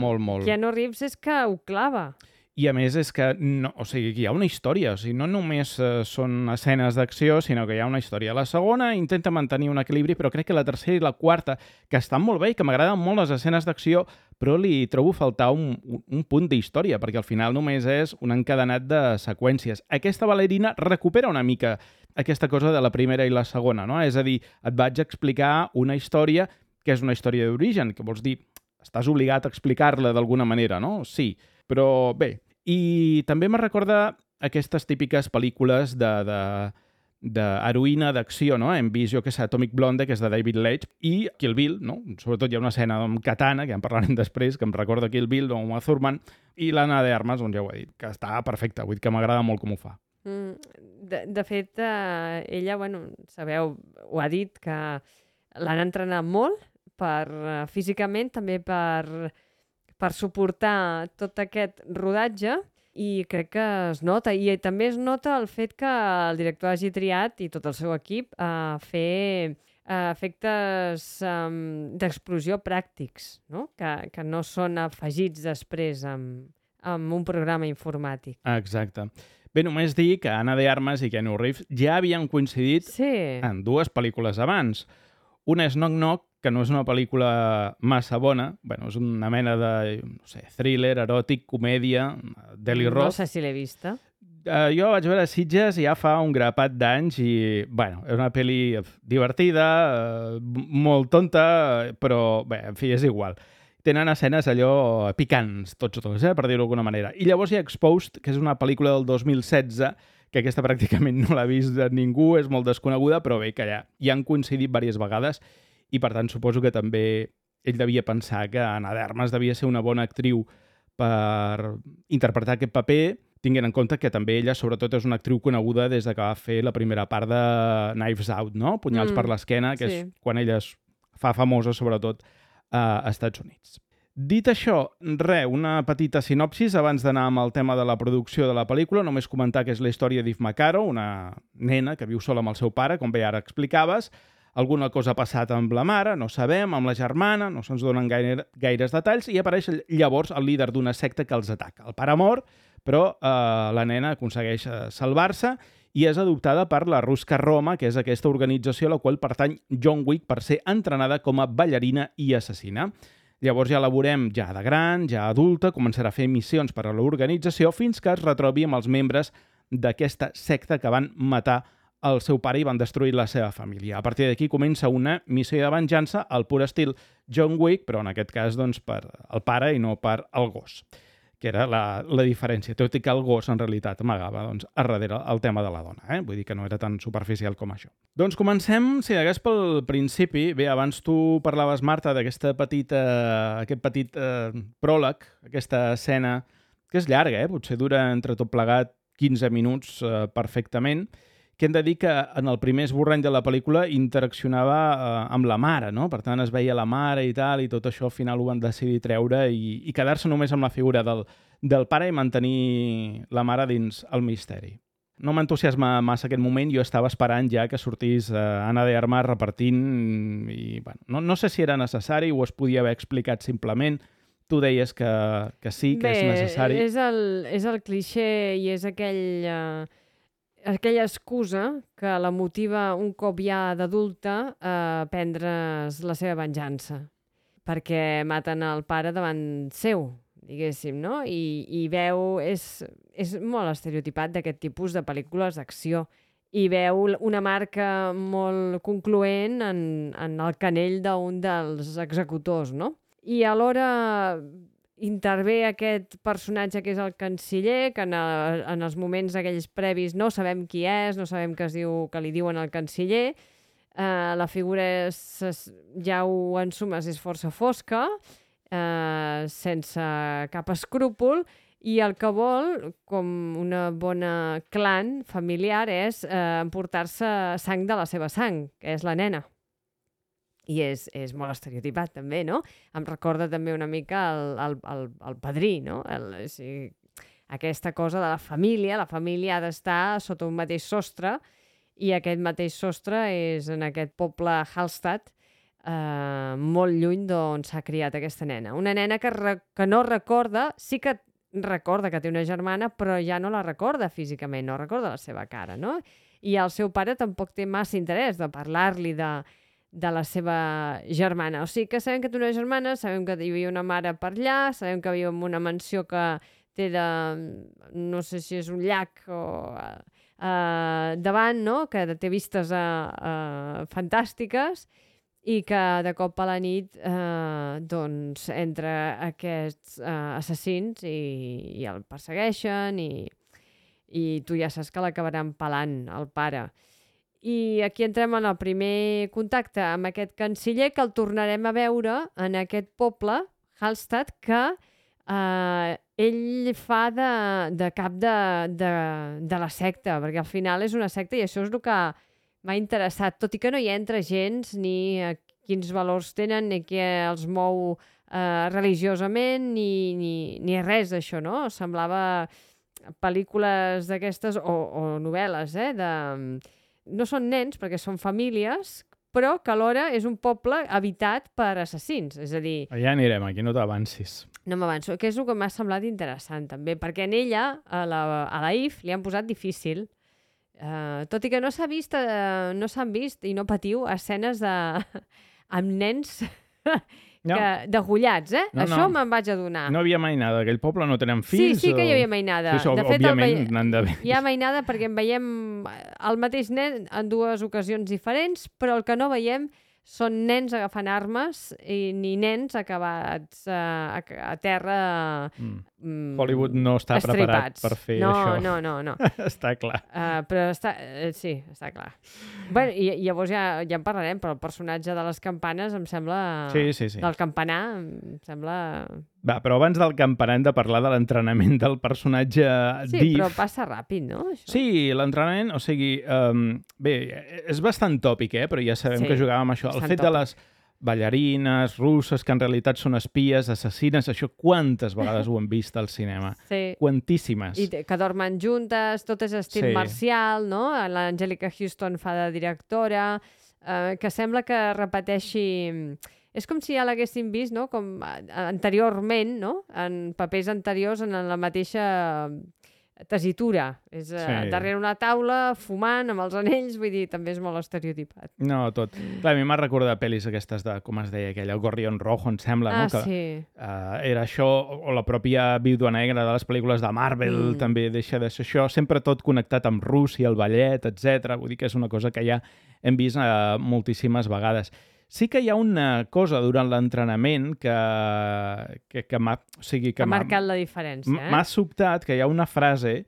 Keanu Reeves és que ho clava. I a més és que hi ha una història, o sigui, no només són escenes d'acció, sinó que hi ha una història. La segona intenta mantenir un equilibri, però crec que la tercera i la quarta, que estan molt bé i que m'agraden molt les escenes d'acció, però li trobo faltar un punt d'història, perquè al final només és un encadenat de seqüències. Aquesta ballarina recupera una mica aquesta cosa de la primera i la segona, no? És a dir, et vaig explicar una història que és una història d'origen, que vols dir, estàs obligat a explicar-la d'alguna manera, no? Sí, però bé. I també me recorda aquestes típiques pel·lícules d'heroïna d'acció, no? Hem vist, jo que sé, Atomic Blonde, que és de David Leitch, i Kill Bill, no? Sobretot hi ha una escena amb Katana, que en parlarem després, que em recorda Kill Bill, o Uma Thurman, i l'Anna de Armas, ja ho he dit, que està perfecta, vull dir que m'agrada molt com ho fa. De fet, ella, sabeu, ho ha dit, que l'han entrenat molt físicament, també per suportar tot aquest rodatge, i crec que es nota. I també es nota el fet que el director hagi triat, i tot el seu equip, fer efectes d'explosió pràctics, no? Que no són afegits després amb un programa informàtic. Exacte. Bé, només dir que Anna de Armas i Keanu Reeves ja havien coincidit en 2 pel·lícules abans. Una és Knock Knock, que no és una pel·lícula massa bona, és una mena de, thriller, eròtic, comèdia, Deli Roth. No sé si l'he vista. Jo vaig veure Sitges ja fa un grapat d'anys i, és una pel·li divertida, molt tonta, però, en fi, és igual. Tenen escenes allò picants, tots, per dir-ho d'alguna manera. I llavors hi ha Exposed, que és una pel·lícula del 2016, que aquesta pràcticament no l'ha vist ningú, és molt desconeguda, però bé, que ja hi han coincidit diverses vegades i, per tant, suposo que també ell devia pensar que Anna de Armas devia ser una bona actriu per interpretar aquest paper, tinguent en compte que també ella, sobretot, és una actriu coneguda des que va fer la primera part de Knives Out, no? Punyals per l'esquena, que és quan ella es fa famosa, sobretot, a Estats Units. Dit això, una petita sinopsis abans d'anar amb el tema de la producció de la pel·lícula. Només comentar que és la història d'Eve McCarroll, una nena que viu sola amb el seu pare, com bé ara explicaves. Alguna cosa ha passat amb la mare, no sabem, amb la germana, no se'ns donen gaires detalls, i apareix llavors el líder d'una secta que els ataca. El pare mor, però la nena aconsegueix salvar-se i és adoptada per la Ruska Roma, que és aquesta organització a la qual pertany John Wick per ser entrenada com a ballarina i assassina. Llavors ja la veurem ja de gran, ja adulta, començarà a fer missions per a l'organització fins que es retrobi amb els membres d'aquesta secta que van matar el seu pare i van destruir la seva família. A partir d'aquí comença una missió de venjança al pur estil John Wick, però en aquest cas doncs, per el pare i no per el gos, que era la diferència, tot i que el gos en realitat amagava doncs, a darrere el tema de la dona. Vull dir que no era tan superficial com això. Doncs comencem, si hagués pel principi. Bé, abans tu parlaves, Marta, d'aquest petit pròleg, aquesta escena, que és llarga, potser dura entre tot plegat 15 minuts perfectament, que hem de dir que en el primer esborrany de la pel·lícula interaccionava amb la mare, no? Per tant, es veia la mare i tal, i tot això al final ho van decidir treure i quedar-se només amb la figura del pare i mantenir la mare dins el misteri. No m'entusiasma massa aquest moment, jo estava esperant ja que sortís Ana de Armas repartint i bueno, no sé si era necessari o es podia haver explicat simplement. Tu deies que sí, que és necessari. Bé, és el clixé i és aquella excusa que la motiva un cop ja d'adulta a prendre's la seva venjança, perquè maten el pare davant seu, diguéssim, no? I veu... És molt estereotipat d'aquest tipus de pel·lícules d'acció i veu una marca molt concloent en el canell d'un dels executors, no? I alhora intervé aquest personatge que és el canciller, que en els moments aquells previs no sabem qui és, no sabem que li diuen el canciller. La figura ja ho ensumes, és força fosca, sense cap escrúpol, i el que vol, com una bona clan familiar, és emportar-se sang de la seva sang, que és la nena. I és molt estereotipat, també, no? Em recorda també una mica el Padrí, no? Aquesta cosa de la família ha d'estar sota un mateix sostre, i aquest mateix sostre és en aquest poble Hallstatt, molt lluny d'on s'ha criat aquesta nena. Una nena que no recorda, sí que recorda que té una germana, però ja no la recorda físicament, no recorda la seva cara, no? I el seu pare tampoc té massa interès de parlar-li de la seva germana. O sigui que sabem que té una germana, sabem que hi havia una mare per allà, sabem que viu en una mansió que té no sé si és un llac o davant, no? Que té vistes fantàstiques i que de cop a la nit doncs entra aquests assassins i el persegueixen i tu ja saps que l'acabaran pelant, el pare. I aquí entrem en el primer contacte amb aquest canciller, que el tornarem a veure en aquest poble, Hallstatt, que ell fa de cap de la secta, perquè al final és una secta i això és el que m'ha interessat, tot i que no hi entra gens ni quins valors tenen, ni què els mou religiosament, ni res d'això, no? Semblava pel·lícules d'aquestes o novel·les, no són nens, perquè són famílies, però que alhora és un poble habitat per assassins, és a dir... Ja anirem, aquí no t'avancis. No m'avanço, que és el que m'ha semblat interessant, també, perquè en ella, a la Eve, li han posat difícil, tot i que no s'han vist, i no patiu, escenes amb nens degollats, Això me'n vaig adonar. No havia mainada, aquell poble no tenen fills? Sí que hi havia mainada. Sí, de fet, òbviament n'han d'haver. Hi ha mainada perquè en veiem el mateix nen en dues ocasions diferents, però el que no veiem són nens agafant armes ni nens acabats a terra Hollywood no està preparat per fer això. No. Està clar. Però sí, està clar. Bé, i llavors ja en parlarem, però el personatge de les campanes em sembla... Sí. Del campanar em sembla... Va, però abans del campanar hem de parlar de l'entrenament del personatge Sí, Div. però passa ràpid, no? Això? Sí, l'entrenament, o sigui, bé, és bastant tòpic, però ja sabem que jugàvem això. El fet ballarines russes que en realitat són espies, assassines, això quantes vegades ho hem vist al cinema? Sí. Quantíssimes. I que dormen juntes, tot és estil marcial, no? L'Angelica Houston fa de directora, que sembla que repeteixi... És com si ja l'haguéssim vist, no? Com anteriorment, no? En papers anteriors en la mateixa tessitura. És darrere una taula, fumant, amb els anells, vull dir, també és molt estereotipat. No, tot. Clar, a mi m'ha recordat pel·lis aquestes de, com es deia aquella, el Gorrión Rojo, em sembla, no? Que, era això, o la pròpia Vídua Negra de les pel·lícules de Marvel, també deixa de ser això, sempre tot connectat amb Rússia, el ballet, etc. Vull dir que és una cosa que ja hem vist moltíssimes vegades. Sí que hi ha una cosa durant l'entrenament que m'ha... O sigui, que ha marcat la diferència, M'ha sobtat que hi ha una frase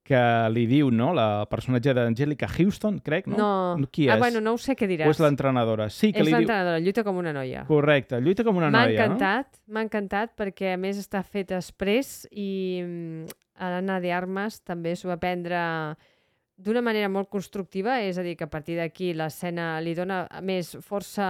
que li diu, no?, la personatge d'Angelica Houston, crec, no? No. Qui és? Bueno, no ho sé què diràs. O és l'entrenadora? Sí, que és l'entrenadora, lluita com una noia. Correcte, lluita com una noia, no? M'ha encantat perquè, a més, està fet express i Ana de Armas també s'ho va prendre d'una manera molt constructiva, és a dir, que a partir d'aquí l'escena li dona més força...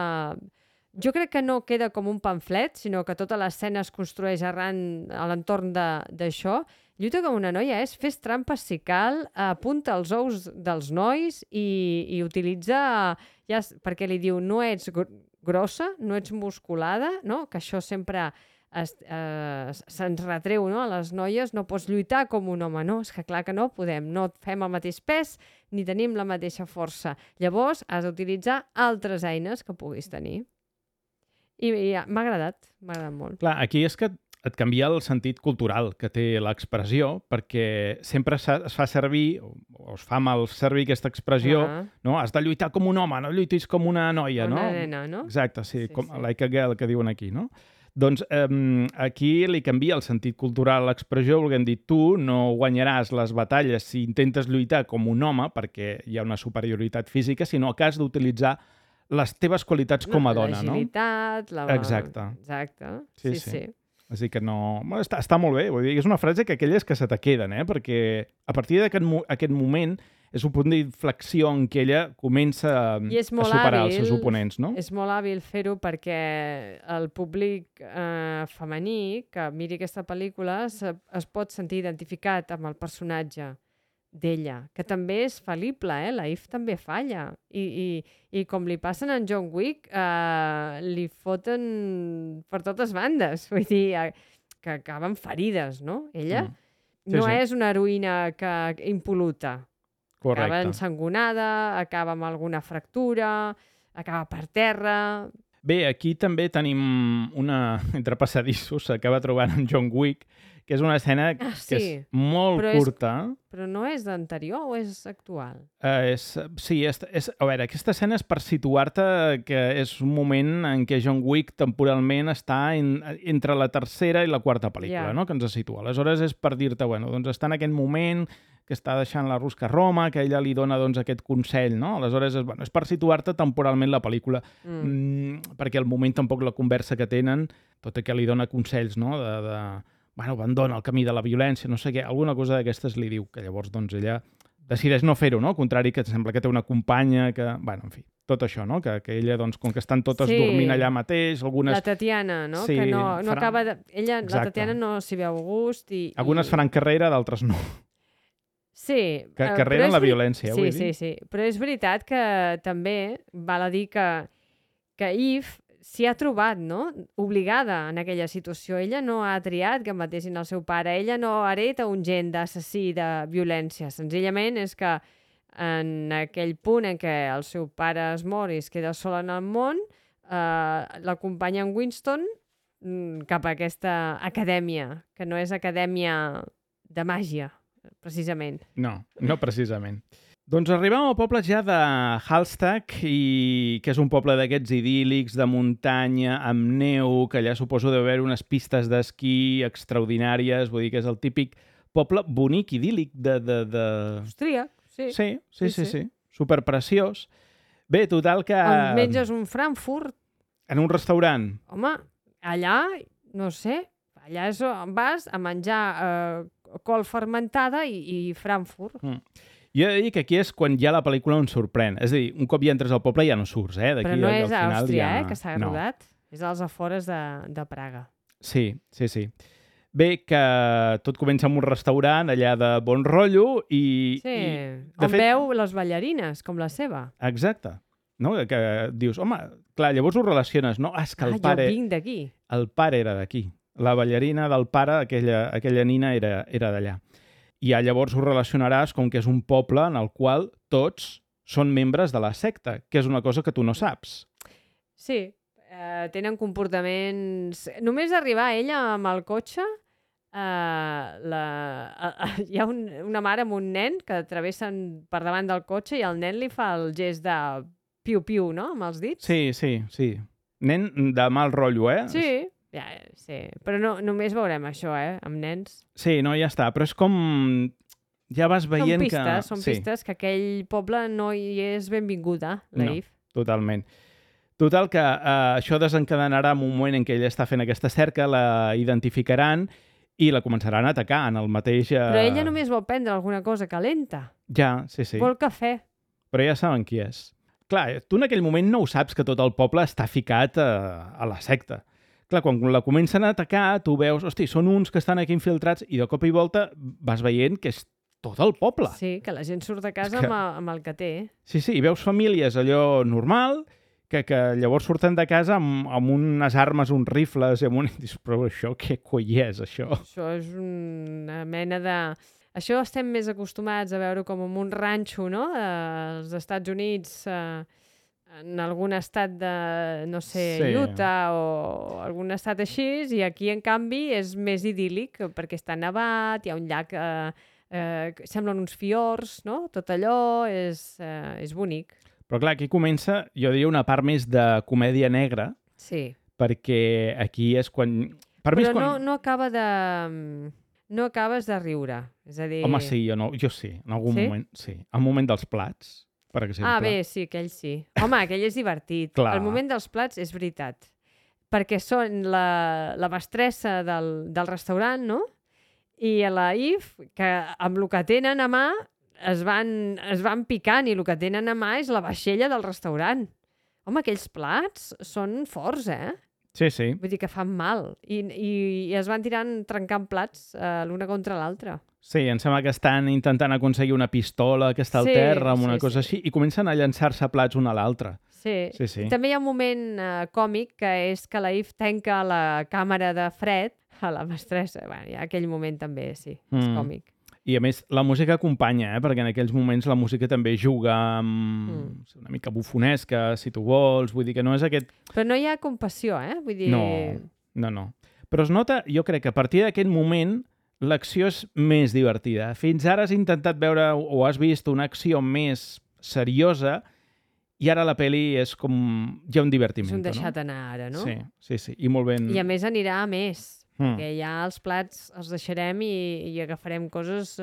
Jo crec que no queda com un pamflet, sinó que tota l'escena es construeix arran a l'entorn d'això. Lluita com una noia és fes trampes si cal, apunta els ous dels nois i utilitza... perquè li diu, no ets grossa, no ets musculada, no? Que això sempre... se'ns retreu, no? A les noies no pots lluitar com un home, no? És que clar que no podem, no fem el mateix pes ni tenim la mateixa força. Llavors has d'utilitzar altres eines que puguis tenir. I m'ha agradat molt. Clar, aquí és que et canvia el sentit cultural que té l'expressió, perquè sempre es fa servir, o es fa mal servir aquesta expressió, no? Has de lluitar com un home, no lluitis com una noia, no? Una nena, no? Exacte, sí, com like a girl, que diuen aquí, no? Doncs aquí li canvia el sentit cultural a l'expressió, volguem dir, tu no guanyaràs les batalles si intentes lluitar com un home, perquè hi ha una superioritat física, sinó que has d'utilitzar les teves qualitats com a dona, no? L'agilitat, Exacte. Exacte, sí. Així que no... Està molt bé, vull dir, és una frase que aquelles que se te queden, perquè a partir d'aquest moment és un punt d'inflexió en què ella comença a superar els seus oponents, no? És molt hàbil fer-ho perquè el públic femení que miri aquesta pel·lícula es pot sentir identificat amb el personatge d'ella, que també és fal·lible, la Eve també falla. I com li passen a en John Wick, li foten per totes bandes. Vull dir, que acaben ferides, no? Ella no és una heroïna impol·luta. Correcte. Acaba ensangonada, acaba amb alguna fractura, acaba per terra... Bé, aquí també tenim una, entre passadissos, s'acaba trobant en John Wick, que és una escena que és molt curta. Però no és d'anterior o és actual? Sí, a veure, aquesta escena és per situar-te que és un moment en què John Wick temporalment està entre la tercera i la quarta pel·lícula, no? Que ens situa. Aleshores és per dir-te, bueno, doncs està en aquest moment que està deixant la Rusca a Roma, que ella li dona doncs, aquest consell, no? Aleshores és per situar-te temporalment la pel·lícula, perquè al moment tampoc la conversa que tenen, tot i que li dona consells, no? Bueno, abandona el camí de la violència, no sé què, alguna cosa d'aquestes li diu, que llavors doncs ella decideix no fer-ho, no? Al contrari, que sembla que té una companya, que... Bueno, en fi, tot això, no? Que ella, doncs, com que estan totes dormint allà mateix, algunes... La Tatiana, no? Sí, que no acaba de... Ella, exacte. La Tatiana no s'hi veu gust i... Algunes faran carrera, d'altres no. Sí. Carrera en la violència, vull dir. Sí. Però és veritat que també val a dir que Eve s'hi ha trobat, no? Obligada en aquella situació. Ella no ha triat que matessin el seu pare. Ella no hereta un gen d'assassí de violència. Senzillament és que en aquell punt en què el seu pare es mor i es queda sola en el món, l'acompanya en Winston cap a aquesta acadèmia, que no és acadèmia de màgia, precisament. No precisament. Doncs arribem al poble ja de Hallstatt, que és un poble d'aquests idíl·lics, de muntanya, amb neu, que allà suposo deu haver unes pistes d'esquí extraordinàries, vull dir que és el típic poble bonic, idíl·lic Austríac, sí. Sí. Superpreciós. Bé, total que... On menges un Frankfurt. En un restaurant. Home, allà, no sé, allà vas a menjar col fermentada i Frankfurt. Jo he de dir que aquí és quan ja la pel·lícula ens sorprèn. És a dir, un cop ja entres al poble ja no surts, eh? Però no és a Àustria, que s'ha rodat. És als afores de Praga. Sí. Bé, que tot comença amb un restaurant allà de bon rotllo i... Sí, de fet, veu les ballarines, com la seva. Exacte. No? Que dius, home, clar, llavors ho relaciones, no? És que el pare... Jo vinc d'aquí. El pare era d'aquí. La ballarina del pare, aquella nina, era d'allà. I ja llavors ho relacionaràs com que és un poble en el qual tots són membres de la secta, que és una cosa que tu no saps. Sí, tenen comportaments... Només arribar ella amb el cotxe, hi ha una mare amb un nen que travessen per davant del cotxe i el nen li fa el gest de piu-piu, no?, amb els dits. Sí. Nen de mal rotllo, eh? Sí, però no, només veurem això, amb nens. Sí, no, ja està, però és com... Ja vas veient Són pistes que aquell poble no hi és benvinguda, Leif. No, totalment. Total, que això desencadenarà en un moment en què ella està fent aquesta cerca, la identificaran i la començaran a atacar en el mateix... Però ella només vol prendre alguna cosa calenta. Ja, sí. Vol cafè. Però ja saben qui és. Clar, tu en aquell moment no ho saps que tot el poble està ficat a la secta. Clar, quan la comencen a atacar, tu veus, hosti, són uns que estan aquí infiltrats i de cop i volta vas veient que és tot el poble. Sí, que la gent surt de casa amb el que té. Sí, i veus famílies allò normal, que llavors surten de casa amb unes armes, uns rifles, i dius, però això què coi és, això? Això és una mena de... Això estem més acostumats a veure com en un ranxo, no?, als Estats Units, en algun estat de, no sé, Utah o algun estat així, i aquí, en canvi, és més idíl·lic, perquè està nevat, hi ha un llac, semblen uns fiords, no?, tot allò és bonic. Però clar, aquí comença, jo diria, una part més de comèdia negra, sí, perquè aquí és quan... Però no acaba de... No acabes de riure, és a dir... Home, sí, jo sí, en algun moment, sí. El moment dels plats, per exemple. Bé, sí, aquell sí. Home, aquell és divertit. Clar. El moment dels plats és veritat. Perquè són la mestressa del restaurant, no? I la Eve, que amb el que tenen a mà es van picant, i el que tenen a mà és la vaixella del restaurant. Home, aquells plats són forts, Sí. Vull dir que fan mal. I es van trencant plats l'una contra l'altra. Sí, em sembla que estan intentant aconseguir una pistola que està al terra, amb una cosa així, i comencen a llançar-se plats un a l'altre. Sí. També hi ha un moment còmic, que és que la Eve tanca la càmera de fred a la mestressa. Hi ha aquell moment també, sí, és còmic. I a més, la música acompanya, perquè en aquells moments la música també juga amb una mica bufonesca, si tu vols, vull dir que no és aquest... Però no hi ha compassió, Vull dir... No. Però es nota, jo crec que a partir d'aquest moment l'acció és més divertida. Fins ara has intentat veure o has vist una acció més seriosa i ara la pel·li és com ja un divertiment. És un deixat anar ara, no? Sí, i molt ben... I a més anirà a més. Perquè ja els plats els deixarem i agafarem coses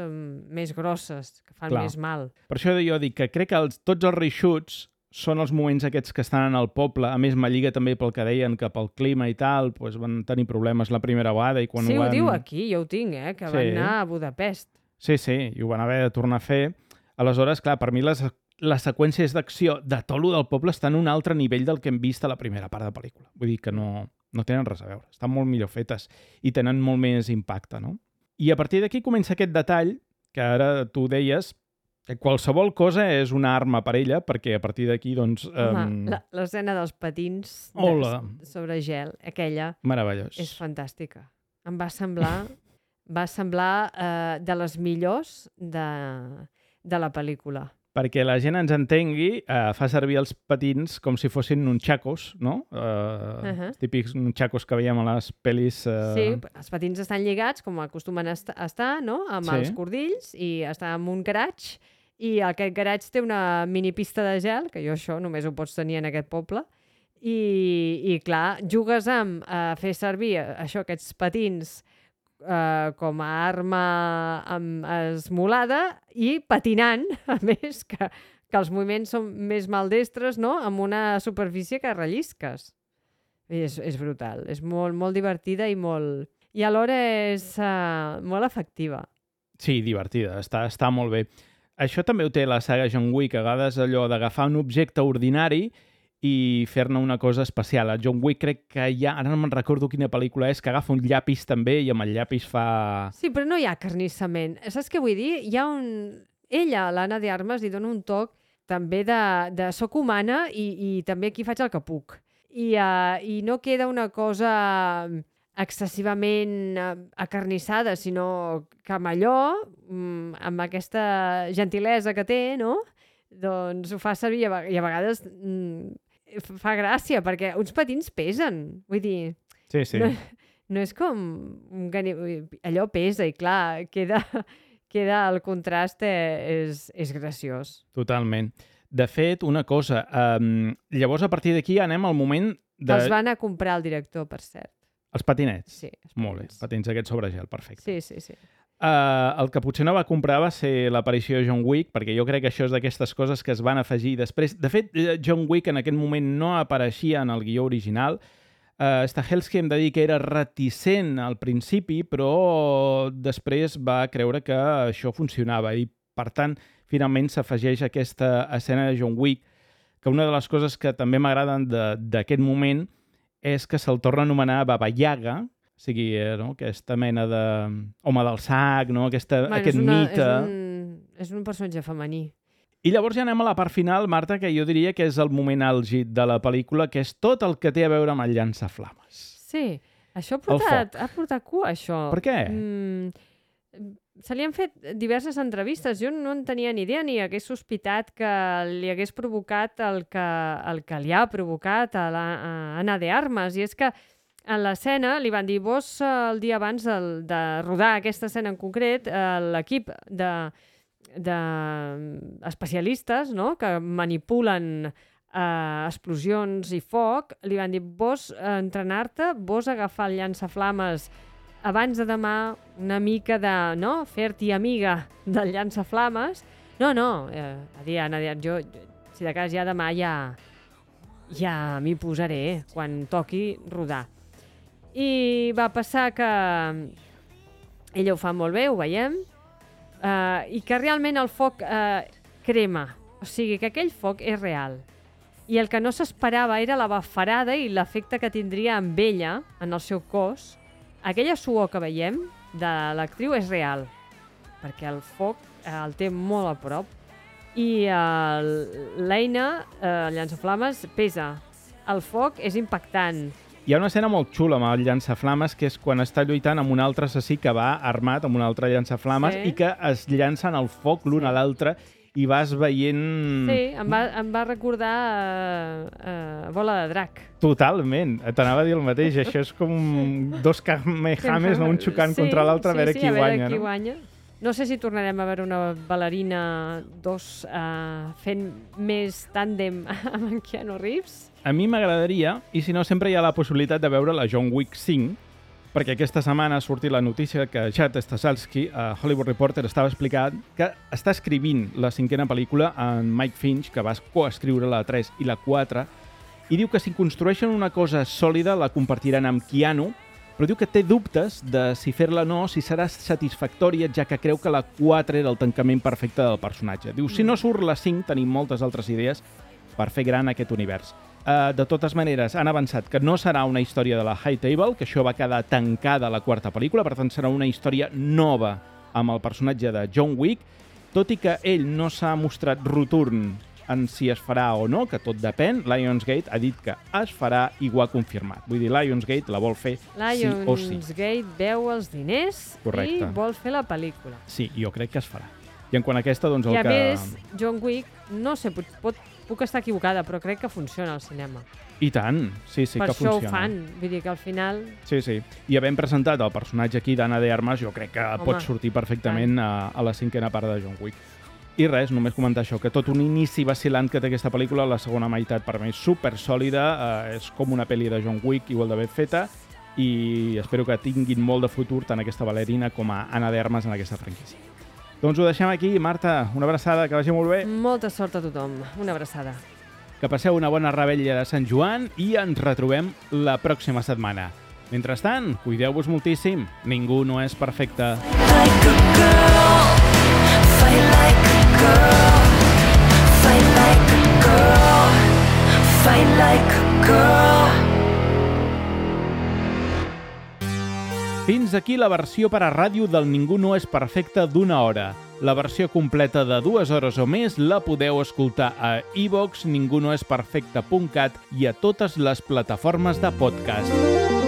més grosses, que fan més mal. Per això jo dic que crec que tots els reshoots són els moments aquests que estan en el poble. A més, m'alliga també pel que deien, que pel clima i tal, doncs van tenir problemes la primera vegada. I quan ho diu aquí, jo ho tinc, que van anar a Budapest. Sí, i ho van haver de tornar a fer. Aleshores, clar, per mi les seqüències d'acció de tot lo del poble estan a un altre nivell del que hem vist a la primera part de la pel·lícula. Vull dir que no tenen res a veure. Estan molt millor fetes i tenen molt més impacte, no? I a partir d'aquí comença aquest detall, que ara tu deies, que qualsevol cosa és una arma per ella, perquè a partir d'aquí, doncs... Home, l'escena dels patins sobre gel, aquella... Meravellós. És fantàstica. Em va semblar de les millors de la pel·lícula. Perquè la gent ens entengui, fa servir els patins com si fossin nunchakos, no? Els típics nunchakos que veiem a les pel·lis... Sí, els patins estan lligats, com acostumen a estar, no?, amb els cordills, i està en un garatge, i aquest garatge té una minipista de gel, que això només ho pots tenir en aquest poble, i clar, jugues amb fer servir aquests patins com a arma esmolada i patinant, a més, que els moviments són més maldestres, no?, amb una superfície que rellisques. És brutal, és molt, molt divertida i alhora és molt efectiva. Sí, divertida, està molt bé. Això també ho té la saga John Wick, a vegades allò d'agafar un objecte ordinari i fer-ne una cosa especial. A John Wick crec que hi ha, ara no me'n recordo quina pel·lícula és, que agafa un llapis també i amb el llapis fa... Sí, però no hi ha carnissament. Saps què vull dir? Hi ha Ella, l'Anna de Armas, li dona un toc també de soc humana i també aquí faig el que puc. I no queda una cosa excessivament acarnissada, sinó que amb allò, amb aquesta gentilesa que té, no? Doncs ho fa servir i a vegades fa gràcia, perquè uns patins pesen. Vull dir, Sí. no és com... Allò pesa i, clar, queda el contrast és graciós. Totalment. De fet, una cosa, llavors a partir d'aquí anem al moment de... Els van a comprar el director, per cert. Els patinets? Sí. Els Molt bé, patins aquests sobre gel, perfecte. Sí. El que potser no va comprar va ser l'aparició de John Wick, perquè jo crec que això és d'aquestes coses que es van afegir després. De fet, John Wick en aquest moment no apareixia en el guió original. Stahelski hem de dir que era reticent al principi, però després va creure que això funcionava i, per tant, finalment s'afegeix aquesta escena de John Wick, que una de les coses que també m'agraden d'aquest moment és que se'l torna a anomenar Baba Yaga, o sigui, no? Aquesta mena d'home del sac, no? Aquest mite. És un personatge femení. I llavors ja anem a la part final, Marta, que jo diria que és el moment àlgid de la pel·lícula, que és tot el que té a veure amb el llançaflames. Sí, això ha portat cua, això. Per què? Se li han fet diverses entrevistes. Jo no en tenia ni idea ni hagués sospitat que li hagués provocat el que li ha provocat a Anna de Armas. I és que en l'escena li van dir, vos el dia abans de rodar aquesta escena en concret, l'equip d'especialistes, no?, que manipulen explosions i foc, li van dir, vos entrenar-te, vos agafar el llançaflames abans de demà, una mica de, no?, fer-t'hi amiga del llançaflames. No, Anna, jo, si de cas ja demà ja m'hi posaré quan toqui rodar. I va passar que ella ho fa molt bé, ho veiem, i que realment el foc crema. O sigui, que aquell foc és real. I el que no s'esperava era la bafarada i l'efecte que tindria amb ella, en el seu cos. Aquella suor que veiem de l'actriu és real, perquè el foc el té molt a prop. I l'eina, el llançaflames, pesa. El foc és impactant. Hi ha una escena molt xula amb el llançaflames, que és quan està lluitant amb un altre assassí que va armat amb un altre llançaflames i que es llancen al foc l'un a l'altre i vas veient... Sí, em va recordar Bola de drac. Totalment, t'anava a dir el mateix. Això és com dos kamehamehas, no? Un xocant contra l'altre, a veure qui guanya. Qui guanya. No sé si tornarem a veure una ballarina 2 fent més tàndem amb en Keanu Reeves. A mi m'agradaria, i si no, sempre hi ha la possibilitat de veure la John Wick 5, perquè aquesta setmana ha sortit la notícia que Chad Stahelski, a Hollywood Reporter, estava explicant que està escrivint la 5a pel·lícula en Mike Finch, que va coescriure la 3 i la 4, i diu que si construeixen una cosa sòlida la compartiran amb Keanu, però diu que té dubtes de si fer-la o no, si serà satisfactòria, ja que creu que la 4 era el tancament perfecte del personatge. Diu, si no surt la 5, tenim moltes altres idees per fer gran aquest univers. De totes maneres, han avançat que no serà una història de la High Table, que això va quedar tancada a la 4a pel·lícula, per tant serà una història nova amb el personatge de John Wick, tot i que ell no s'ha mostrat rotund en si es farà o no, que tot depèn. Lionsgate ha dit que es farà i ho ha confirmat. Vull dir, Lionsgate la vol fer sí o sí. Lionsgate veu els diners i vol fer la pel·lícula. Sí, jo crec que es farà. I en quant a aquesta, doncs el que... I a més, John Wick, no sé, puc estar equivocada, però crec que funciona al cinema. I tant, sí que funciona. Per això ho fan, vull dir que al final... Sí. I havent presentat el personatge aquí d'Anna de Armas, jo crec que pot sortir perfectament a la 5a part de John Wick. I res, només comentar això, que tot un inici vacilant que té aquesta pel·lícula, la segona meitat per mi és supersòlida, és com una pel·li de John Wick igual de ben feta, i espero que tinguin molt de futur tant aquesta ballarina com a Anna de Armas en aquesta franquícia. Doncs ho deixem aquí. Marta, una abraçada, que vagi molt bé. Molta sort a tothom. Una abraçada. Que passeu una bona revetlla de Sant Joan i ens retrobem la pròxima setmana. Mentrestant, cuideu-vos moltíssim. Ningú no és perfecte. Like a girl, fight like a girl. girl. Fight like a girl. Fight like a girl. Fins aquí la versió per a ràdio del Ningú no és perfecte d'1 hora. La versió completa de 2 hores o més la podeu escoltar a iVoox, ningunoesperfecte.cat i a totes les plataformes de podcast.